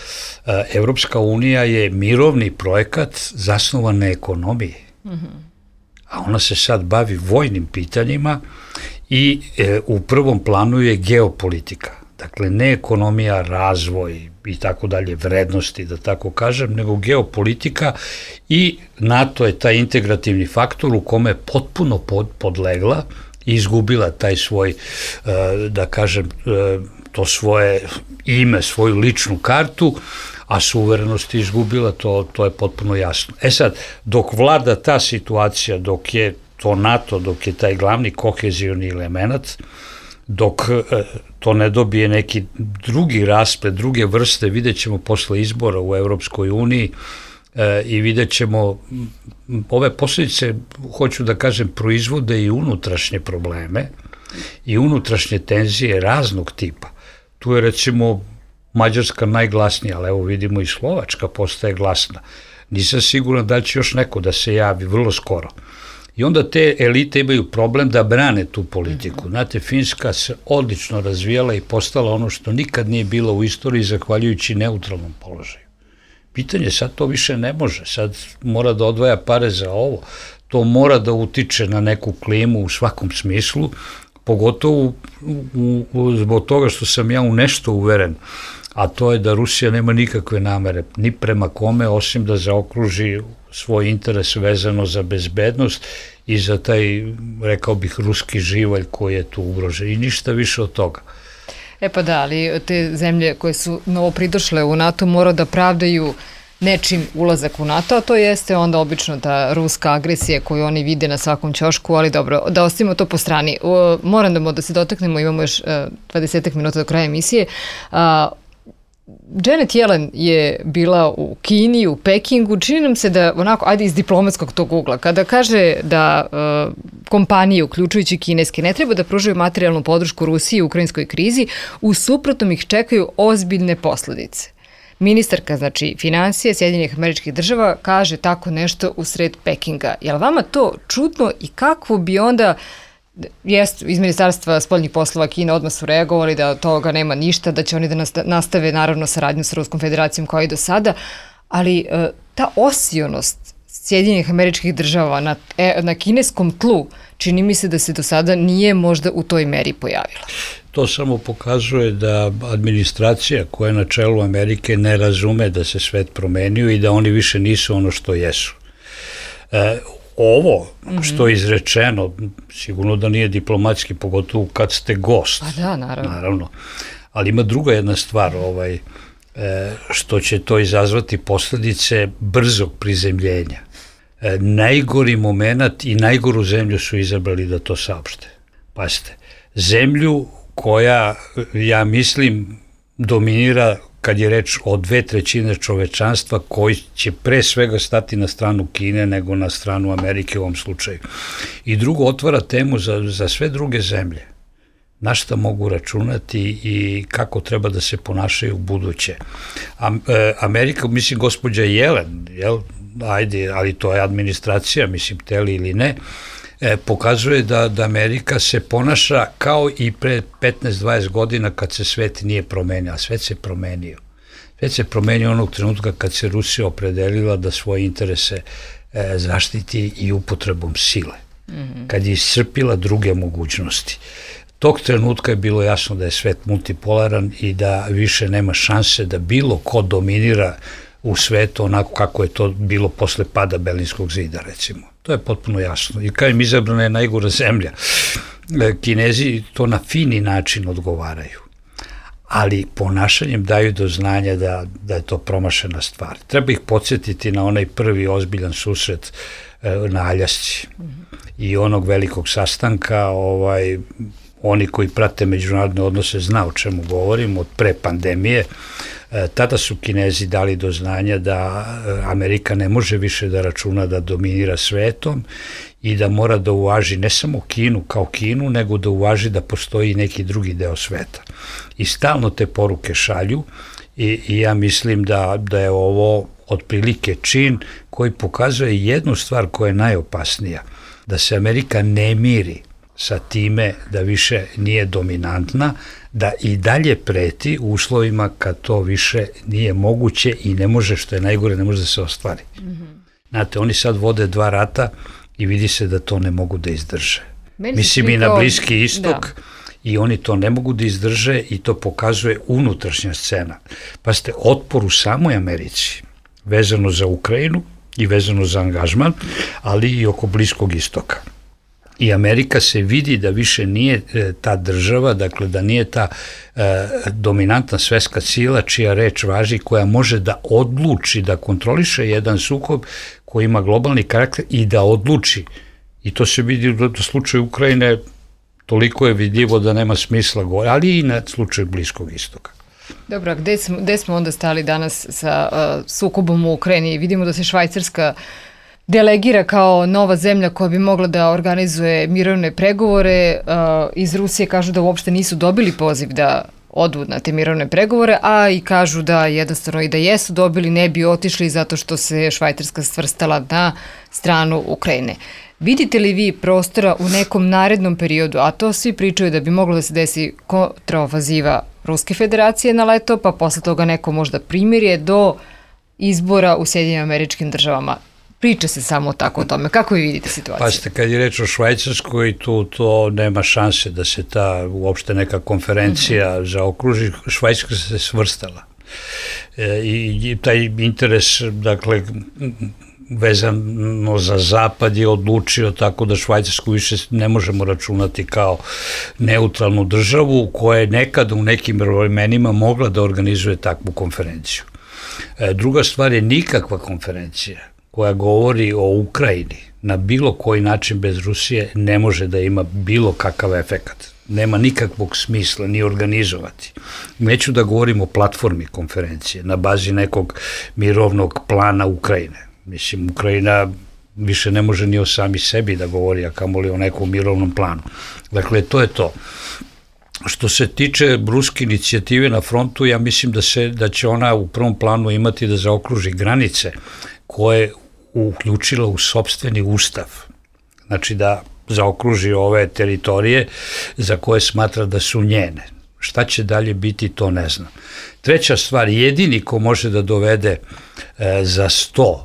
Evropska unija je mirovni projekat zasnovan na ekonomiji. Mm-hmm. A ona se sad bavi vojnim pitanjima i e, u prvom planu je geopolitika. Dakle, ne ekonomija, razvoj i tako dalje, vrednosti, da tako kažem, nego geopolitika, i NATO je taj integrativni faktor u kome je potpuno pod, podlegla i izgubila taj svoj, e, da kažem, e, to svoje ime, svoju ličnu kartu, a suverenost je izgubila, to, to je potpuno jasno. E sad, dok vlada ta situacija, dok je to NATO, dok je taj glavni kohezivni element, dok e, to ne dobije neki drugi rasplet, druge vrste, vidjet ćemo posle izbora u Evropskoj uniji e, i vidjet ćemo, ove posljedice, hoću da kažem, proizvode i unutrašnje probleme i unutrašnje tenzije raznog tipa. Tu je, recimo, Mađarska najglasnija, ali evo vidimo i Slovačka postaje glasna. Nisam siguran da će još neko da se javi vrlo skoro. I onda te elite imaju problem da brane tu politiku. Znate, Finska se odlično razvijala i postala ono što nikad nije bilo u istoriji zahvaljujući neutralnom položaju. Pitanje, sad to više ne može, sad mora da odvaja pare za ovo, to mora da utiče na neku klimu u svakom smislu, pogotovo u, u, zbog toga što sam ja u nešto uveren, a to je da Rusija nema nikakve namere, ni prema kome, osim da zaokruži svoj interes vezano za bezbednost i za taj, rekao bih, ruski živalj koji je tu ugrožen, i ništa više od toga. E pa da, ali te zemlje koje su novo pridošle u NATO mora da pravdaju nečim ulazak u NATO, a to jeste onda obično ta ruska agresija koju oni vide na svakom ćošku, ali dobro, da ostavimo to po strani. O, moram da, da se dotaknemo, imamo još uh, dvadeset minuta do kraja emisije. Uh, Janet Yellen je bila u Kini, u Pekingu, čini nam se da onako, ajde iz diplomatskog tog ugla, kada kaže da uh, kompanije, uključujući kineske, ne treba da pružaju materijalnu podršku Rusiji u ukrajinskoj krizi, u suprotnom ih čekaju ozbiljne posledice. Ministarka, znači, financije Sjedinjenih Američkih Država kaže tako nešto u sred Pekinga. Je li vama to čudno i kako bi onda, jest, iz Ministarstva spoljnih poslova Kine odmah su reagovali da od toga nema ništa, da će oni da nastave naravno saradnju sa Ruskom federacijom kao i do sada, ali e, ta osionost Sjedinjenih Američkih Država na, e, na kineskom tlu čini mi se da se do sada nije možda u toj meri pojavila. To samo pokazuje da administracija koja je na čelu Amerike ne razume da se svet promenio i da oni više nisu ono što jesu. E, ovo što je izrečeno, sigurno da nije diplomatski, pogotovo kad ste gost. Pa da, naravno. naravno. Ali ima druga jedna stvar, ovaj, e, što će to izazvati posledice brzog prizemljenja. E, najgori moment i najgoru zemlju su izabrali da to saopšte. Pazite, zemlju koja, ja mislim, dominira kad je reč o dve trećine čovečanstva koji će pre svega stati na stranu Kine nego na stranu Amerike u ovom slučaju. I drugo, otvara temu za, za sve druge zemlje. Na šta mogu računati i kako treba da se ponašaju u buduće. Am, e, Amerika, mislim, gospođa Yellen, jel, ajde, ali to je administracija, mislim, teli ili ne, E, pokazuje da, da Amerika se ponaša kao i pre petnaest dvadeset godina kad se svet nije promenio, a svet se promenio. Svet se promenio onog trenutka kad se Rusija opredelila da svoje interese e, zaštiti i upotrebom sile, mm-hmm. kad je iscrpila druge mogućnosti. Tog trenutka je bilo jasno da je svet multipolaran i da više nema šanse da bilo ko dominira u svetu onako kako je to bilo posle pada Berlinskog zida, recimo. To je potpuno jasno. I kao im izabrana je najgora zemlja. Kinezi to na fini način odgovaraju, ali ponašanjem daju do znanja da, da je to promašena stvar. Treba ih podsjetiti na onaj prvi ozbiljan susret na Aljasci i onog velikog sastanka, ovaj, oni koji prate međunarodne odnose zna o čemu govorim, od pre pandemije. Tada su Kinezi dali do znanja da Amerika ne može više da računa da dominira svetom i da mora da uvaži ne samo Kinu kao Kinu, nego da uvaži da postoji neki drugi deo sveta. I stalno te poruke šalju i, i ja mislim da, da je ovo otprilike čin koji pokazuje jednu stvar koja je najopasnija, da se Amerika ne miri sa time da više nije dominantna, da i dalje preti u uslovima kad to više nije moguće i ne može, što je najgore, ne može da se ostvari. Mm-hmm. Znate, oni sad vode dva rata i vidi se da to ne mogu da izdrže. Meni Mislim i na Bliski istok, da. I oni to ne mogu da izdrže i to pokazuje unutrašnja scena. Pa ste otpor u samoj Americi, vezano za Ukrajinu i vezano za angažman, ali i oko Bliskog istoka. I Amerika se vidi da više nije e, ta država, dakle da nije ta e, dominantna svetska sila čija reč važi, koja može da odluči, da kontroliše jedan sukob koji ima globalni karakter i da odluči. I to se vidi u slučaju Ukrajine, toliko je vidljivo da nema smisla govoriti, ali i na slučaju Bliskog istoka. Dobro, gde smo, gde smo onda stali danas sa uh, sukobom u Ukrajini? Vidimo da se Švajcarska delegira kao nova zemlja koja bi mogla da organizuje mirovne pregovore. Iz Rusije kažu da uopšte nisu dobili poziv da odu na te mirovne pregovore, a i kažu da jednostavno i da jesu dobili ne bi otišli zato što se Švajcarska svrstala na stranu Ukrajine. Vidite li vi prostora u nekom narednom periodu, a to svi pričaju da bi moglo da se desi kontraofaziva Ruske federacije na leto, pa posle toga neko možda primirje do izbora u Sjedinjenim Američkim Državama? Priča se samo tako o tome. Kako vi vidite situaciju? Pazite, kad je reč o Švajcarskoj, tu to nema šanse da se ta uopšte neka konferencija mm-hmm. zaokruži. Švajcarska se svrstala. E, i, i taj interes, dakle, vezano za Zapad je odlučio tako da Švajcarsku više ne možemo računati kao neutralnu državu koja je nekada u nekim vremenima mogla da organizuje takvu konferenciju. Druga stvar je nikakva konferencija koja govori o Ukrajini na bilo koji način bez Rusije ne može da ima bilo kakav efekat. Nema nikakvog smisla ni organizovati. Neću da govorim o platformi konferencije na bazi nekog mirovnog plana Ukrajine. Mislim, Ukrajina više ne može ni o sami sebi da govori, a kamoli o nekom mirovnom planu. Dakle, to je to. Što se tiče ruske inicijative na frontu, ja mislim da, se, da će ona u prvom planu imati da zaokruži granice koje je uključila u sopstveni ustav. Znači da zaokruži ove teritorije za koje smatra da su njene. Šta će dalje biti, to ne znam. Treća stvar, jedini ko može da dovede e, za sto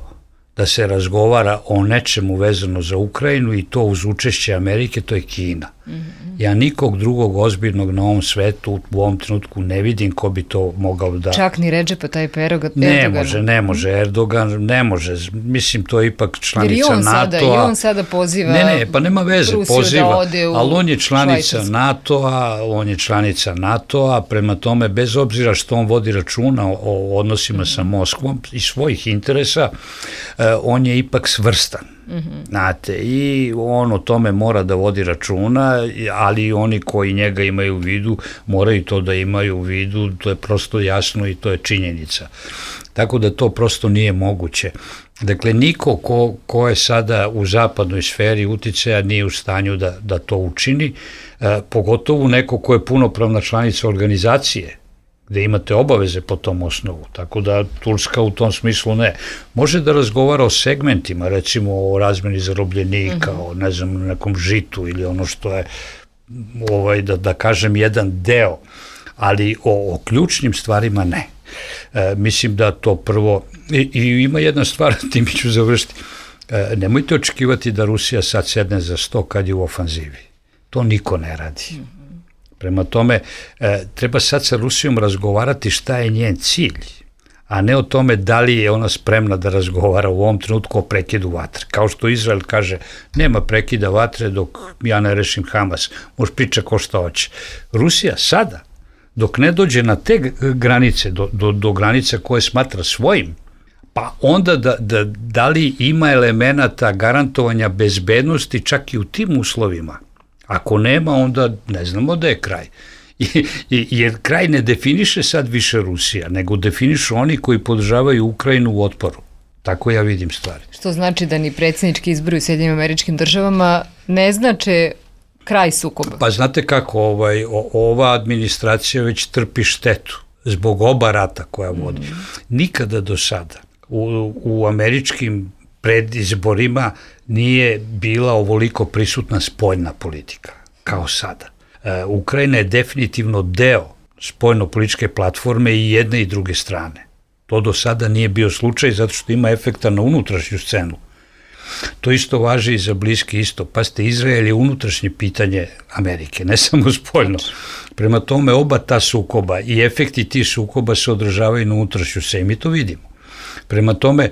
da se razgovara o nečemu vezano za Ukrajinu i to uz učešće Amerike, to je Kina. Mm-hmm. Ja nikog drugog ozbiljnog na ovom svetu u ovom trenutku ne vidim ko bi to mogao da... Čak ni Redžepa Tayyip Erdogan? Ne može, ne može. Erdogan ne može. Mislim, to je ipak članica NATO-a. Sada, I on sada poziva Ne, ne, pa nema veze, Rusiju poziva. Da ode u ali on je članica Švajcarsku. NATO-a, on je članica NATO-a, prema tome, bez obzira što on vodi računa o, o odnosima mm-hmm. sa Moskvom i svojih interesa, on je ipak svrstan. Mm-hmm. Znate, i on o tome mora da vodi računa, ali oni koji njega imaju u vidu moraju to da imaju u vidu, to je prosto jasno i to je činjenica. Tako da to prosto nije moguće. Dakle, niko ko, ko je sada u zapadnoj sferi uticaja nije u stanju da, da to učini, e, pogotovo neko ko je punopravna članica organizacije, gde imate obaveze po tom osnovu, tako da Turska u tom smislu ne. Može da razgovara o segmentima, recimo o razmeni zarobljenika, mm-hmm. o ne znam, nekom žitu ili ono što je, ovaj, da, da kažem, jedan deo, ali o, o ključnim stvarima ne. E, mislim da to prvo, i, i ima jedna stvar, tim ću završiti, e, nemojte očekivati da Rusija sad sedne za sto kad je u ofanzivi. To niko ne radi. Mm-hmm. Prema tome, e, treba sad sa Rusijom razgovarati šta je njen cilj, a ne o tome da li je ona spremna da razgovara u ovom trenutku o prekidu vatre. Kao što Izrael kaže, nema prekida vatre dok ja ne rešim Hamas, može priča ko šta hoće. Rusija sada, dok ne dođe na te granice, do, do, do granica koje smatra svojim, pa onda da, da, da li ima elemenata garantovanja bezbednosti čak i u tim uslovima. Ako nema, onda ne znamo da je kraj. I, i, jer kraj ne definiše sad više Rusija, nego definišu oni koji podržavaju Ukrajinu u otporu. Tako ja vidim stvari. Što znači da ni predsjednički izbori u Sjedinjenim Američkim Državama ne znače kraj sukoba? Pa znate kako, ovaj, o, ova administracija već trpi štetu zbog oba rata koja vodi. Mm. Nikada do sada u, u američkim predizborima nije bila ovoliko prisutna spoljna politika, kao sada. E, Ukrajina je definitivno deo spoljno-političke platforme i jedne i druge strane. To do sada nije bio slučaj zato što ima efekta na unutrašnju scenu. To isto važi i za Bliski istok. Pazite, Izrael je unutrašnje pitanje Amerike, ne samo spoljno. Prema tome, oba ta sukoba i efekti tih sukoba se održavaju na unutrašnju scenu. Mi to vidimo. Prema tome,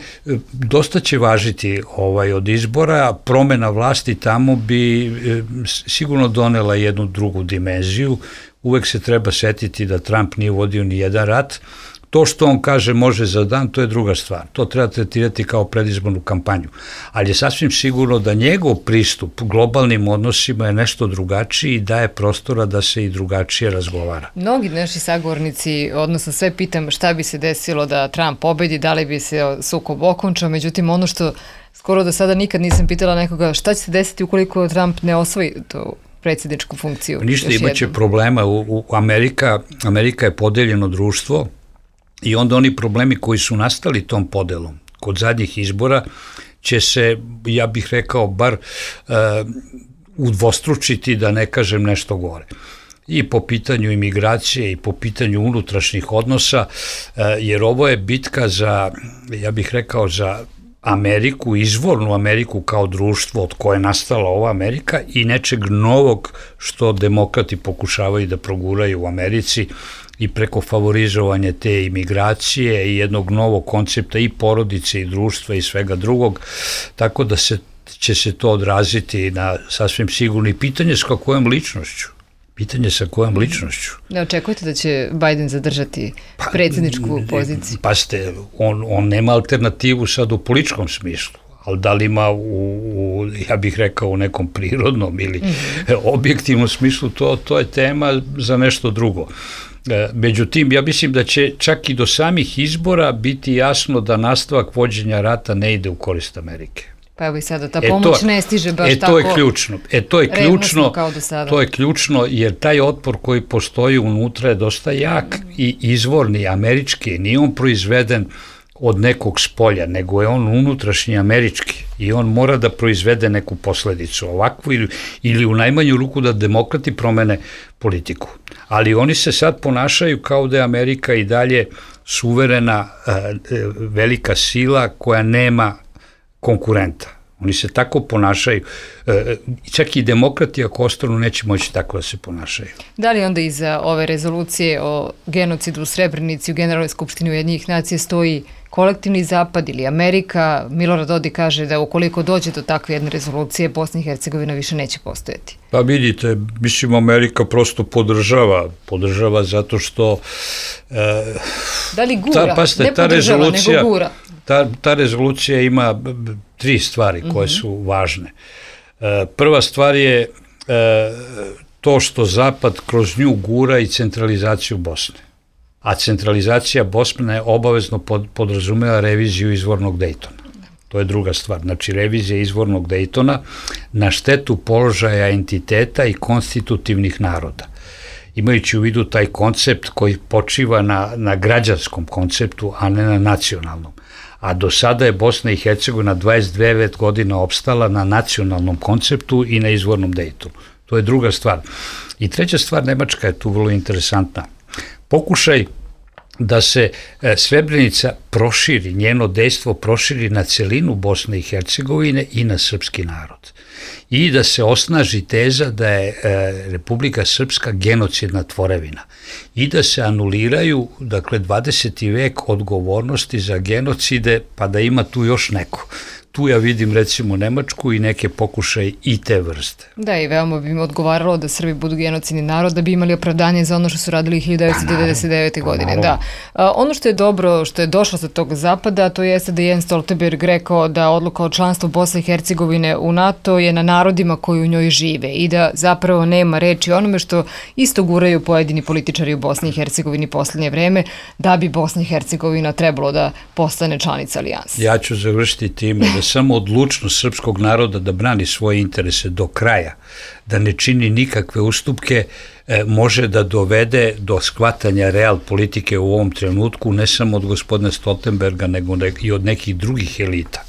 dosta će važiti ovaj od izbora, promena vlasti tamo bi e, sigurno donela jednu drugu dimenziju. Uvek se treba setiti da Trump nije vodio ni jedan rat. To što on kaže može za dan, to je druga stvar. To treba tretirati kao predizbornu kampanju. Ali je sasvim sigurno da njegov pristup globalnim odnosima je nešto drugačiji i daje prostora da se i drugačije razgovara. Mnogi naši sagovornici, odnosno sve pitam šta bi se desilo da Trump pobedi, da li bi se sukob okončao, međutim ono što skoro do sada nikad nisam pitala nekoga šta će se desiti ukoliko Trump ne osvoji to predsjedničku funkciju. Ništa, imaće problema. U, u Amerika, Amerika je podeljeno društvo. I onda oni problemi koji su nastali tom podelom kod zadnjih izbora će se, ja bih rekao, bar uh, udvostručiti, da ne kažem nešto gore. I po pitanju imigracije i po pitanju unutrašnjih odnosa, uh, jer ovo je bitka za, ja bih rekao, za Ameriku, izvornu Ameriku kao društvo od koje je nastala ova Amerika i nečeg novog što demokrati pokušavaju da proguraju u Americi, i preko favorizovanja te imigracije i jednog novog koncepta i porodice i društva i svega drugog, tako da se, će se to odraziti na sasvim sigurno i pitanje s kakvom ličnošću. Pitanje sa kojom ličnošću. Ne očekujete da će Biden zadržati predsjedničku poziciju? Pa ste, on, on nema alternativu sad u političkom smislu, ali da li ima u, u ja bih rekao, u nekom prirodnom ili mm-hmm. objektivnom smislu, to, to je tema za nešto drugo. Međutim, ja mislim da će čak i do samih izbora biti jasno da nastavak vođenja rata ne ide u korist Amerike. Pa evo i sada, ta pomoć e to, ne stiže baš e tako to je ključno. E to je ključno, kao do sada. To je ključno jer taj otpor koji postoji unutra je dosta jak i izvorni, američki, nije on proizveden od nekog spolja, nego je on unutrašnji američki i on mora da proizvede neku posledicu ovakvu ili, ili u najmanju ruku da demokrati promene politiku. Ali oni se sad ponašaju kao da je Amerika i dalje suverena velika sila koja nema konkurenta. Oni se tako ponašaju. Čak i demokrati ako ostanu neće moći tako da se ponašaju. Da li onda iza ove rezolucije o genocidu u Srebrenici u Generalnoj skupštini Ujedinjenih nacija stoji kolektivni zapad ili Amerika? Milorad Dodik kaže da ukoliko dođe do takve jedne rezolucije, Bosna i Hercegovina više neće postojati. Pa vidite, mislim Amerika prosto podržava, podržava zato što... E, da li gura? Ta, pasite, ne podržava, nego gura. Ta, ta rezolucija ima tri stvari koje su mm-hmm. važne. E, prva stvar je e, to što Zapad kroz nju gura i centralizaciju Bosne. A centralizacija Bosne obavezno pod, podrazumeva reviziju izvornog Dejtona. To je druga stvar. Znači, revizija izvornog Dejtona na štetu položaja entiteta i konstitutivnih naroda. Imajući u vidu taj koncept koji počiva na, na građanskom konceptu, a ne na nacionalnom. A do sada je Bosna i Hercegovina dvadeset devet godina opstala na nacionalnom konceptu i na izvornom Dejtonu. To je druga stvar. I treća stvar, Nemačka je tu vrlo interesantna. Pokušaj da se Srebrenica proširi, njeno dejstvo proširi na celinu Bosne i Hercegovine i na srpski narod. I da se osnaži teza da je Republika Srpska genocidna tvorevina. I da se anuliraju, dakle, dvadeseti vek odgovornosti za genocide, pa da ima tu još neko. Tu ja vidim recimo Nemačku i neke pokušaje i te vrste. Da, i veoma bi im odgovaralo da Srbi budu genocidni narod, da bi imali opravdanje za ono što su radili hiljadu devetsto devedeset devete. Pa, godine. Da. A, ono što je dobro, što je došlo sa tog zapada, to jeste da je Jens Stoltenberg rekao da odluka o članstvu Bosne i Hercegovine u NATO je na narodima koji u njoj žive i da zapravo nema reči onome što isto guraju pojedini političari u Bosni i Hercegovini poslednje vreme, da bi Bosna i Hercegovina trebalo da postane članica alijanse. Ja ću završiti time da samo odlučnost srpskog naroda da brani svoje interese do kraja, da ne čini nikakve ustupke, e, može da dovede do shvatanja real politike u ovom trenutku, ne samo od gospodina Stoltenberga, nego i od nekih drugih elita.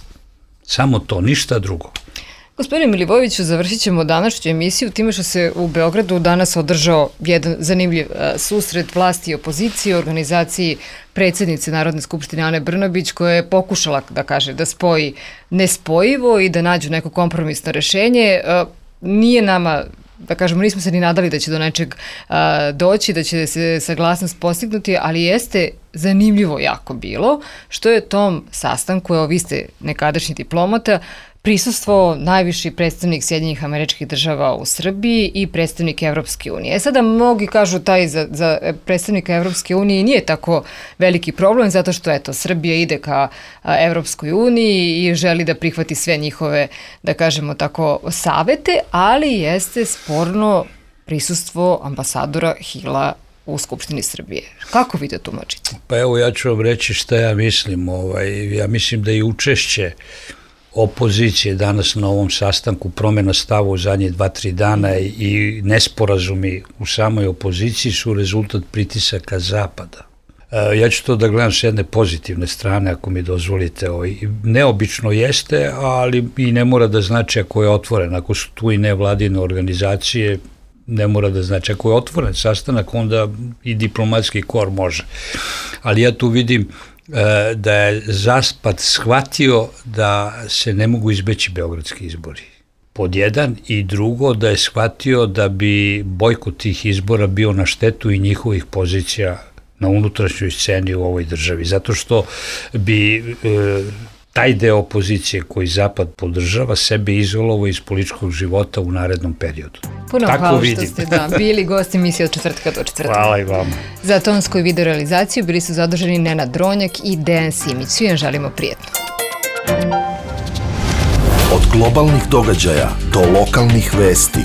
Samo to, ništa drugo. Gospodine Milivojeviću, završit ćemo današnju emisiju time što se u Beogradu danas održao jedan zanimljiv susret vlasti i opozicije u organizaciji predsjednice Narodne skupštine Ane Brnabić, koja je pokušala da kaže da spoji nespojivo i da nađu neko kompromisno rešenje. Nije nama, da kažemo, nismo se ni nadali da će do nečeg a, doći, da će se saglasnost postignuti, ali jeste zanimljivo jako bilo, što je tom sastanku, evo vi ste nekadašnji diplomata, prisustvo najviši predstavnik Sjedinjenih Američkih Država u Srbiji i predstavnik Evropske unije. E sada mnogi kažu taj za, za predstavnika Evropske unije nije tako veliki problem, zato što eto, Srbija ide ka Evropskoj uniji i želi da prihvati sve njihove, da kažemo tako, savete, ali jeste sporno prisustvo ambasadora Hila u Skupštini Srbije. Kako vi to tumačite? Pa evo, ja ću vam reći šta ja mislim. Ovaj, ja mislim da i učešće opozicije danas na ovom sastanku, promjena stava u zadnje dva, tri dana i nesporazumi u samoj opoziciji su rezultat pritisaka Zapada. Ja ću to da gledam s jedne pozitivne strane, ako mi dozvolite. Neobično jeste, ali i ne mora da znači ako je otvoren. Ako su tu i nevladine organizacije, ne mora da znači. Ako je otvoren sastanak, onda i diplomatski kor može. Ali ja tu vidim da je Zapad shvatio da se ne mogu izbeći beogradski izbori. Pod jedan, i drugo, da je shvatio da bi bojkot tih izbora bio na štetu i njihovih pozicija na unutrašnjoj sceni u ovoj državi. Zato što bi e, taj deo opozicije koji Zapad podržava sebe izolovao iz političkog života u narednom periodu. Puno Tako hvala vidim. što ste da, bili gosti emisije od četvrtka do četvrtka. Hvala i vama. Za tonsku i video realizaciju bili su zaduženi Nenad Dronjak i Dejan Simić. Svi vam želimo prijetno. Od globalnih događaja do lokalnih vesti.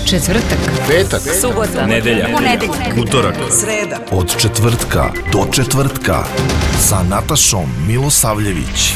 Četvrtak, Petak, subota, nedelja, ponedeljak, utorak, sreda. od četvrtka do četvrtka sa Natašom Milosavljević.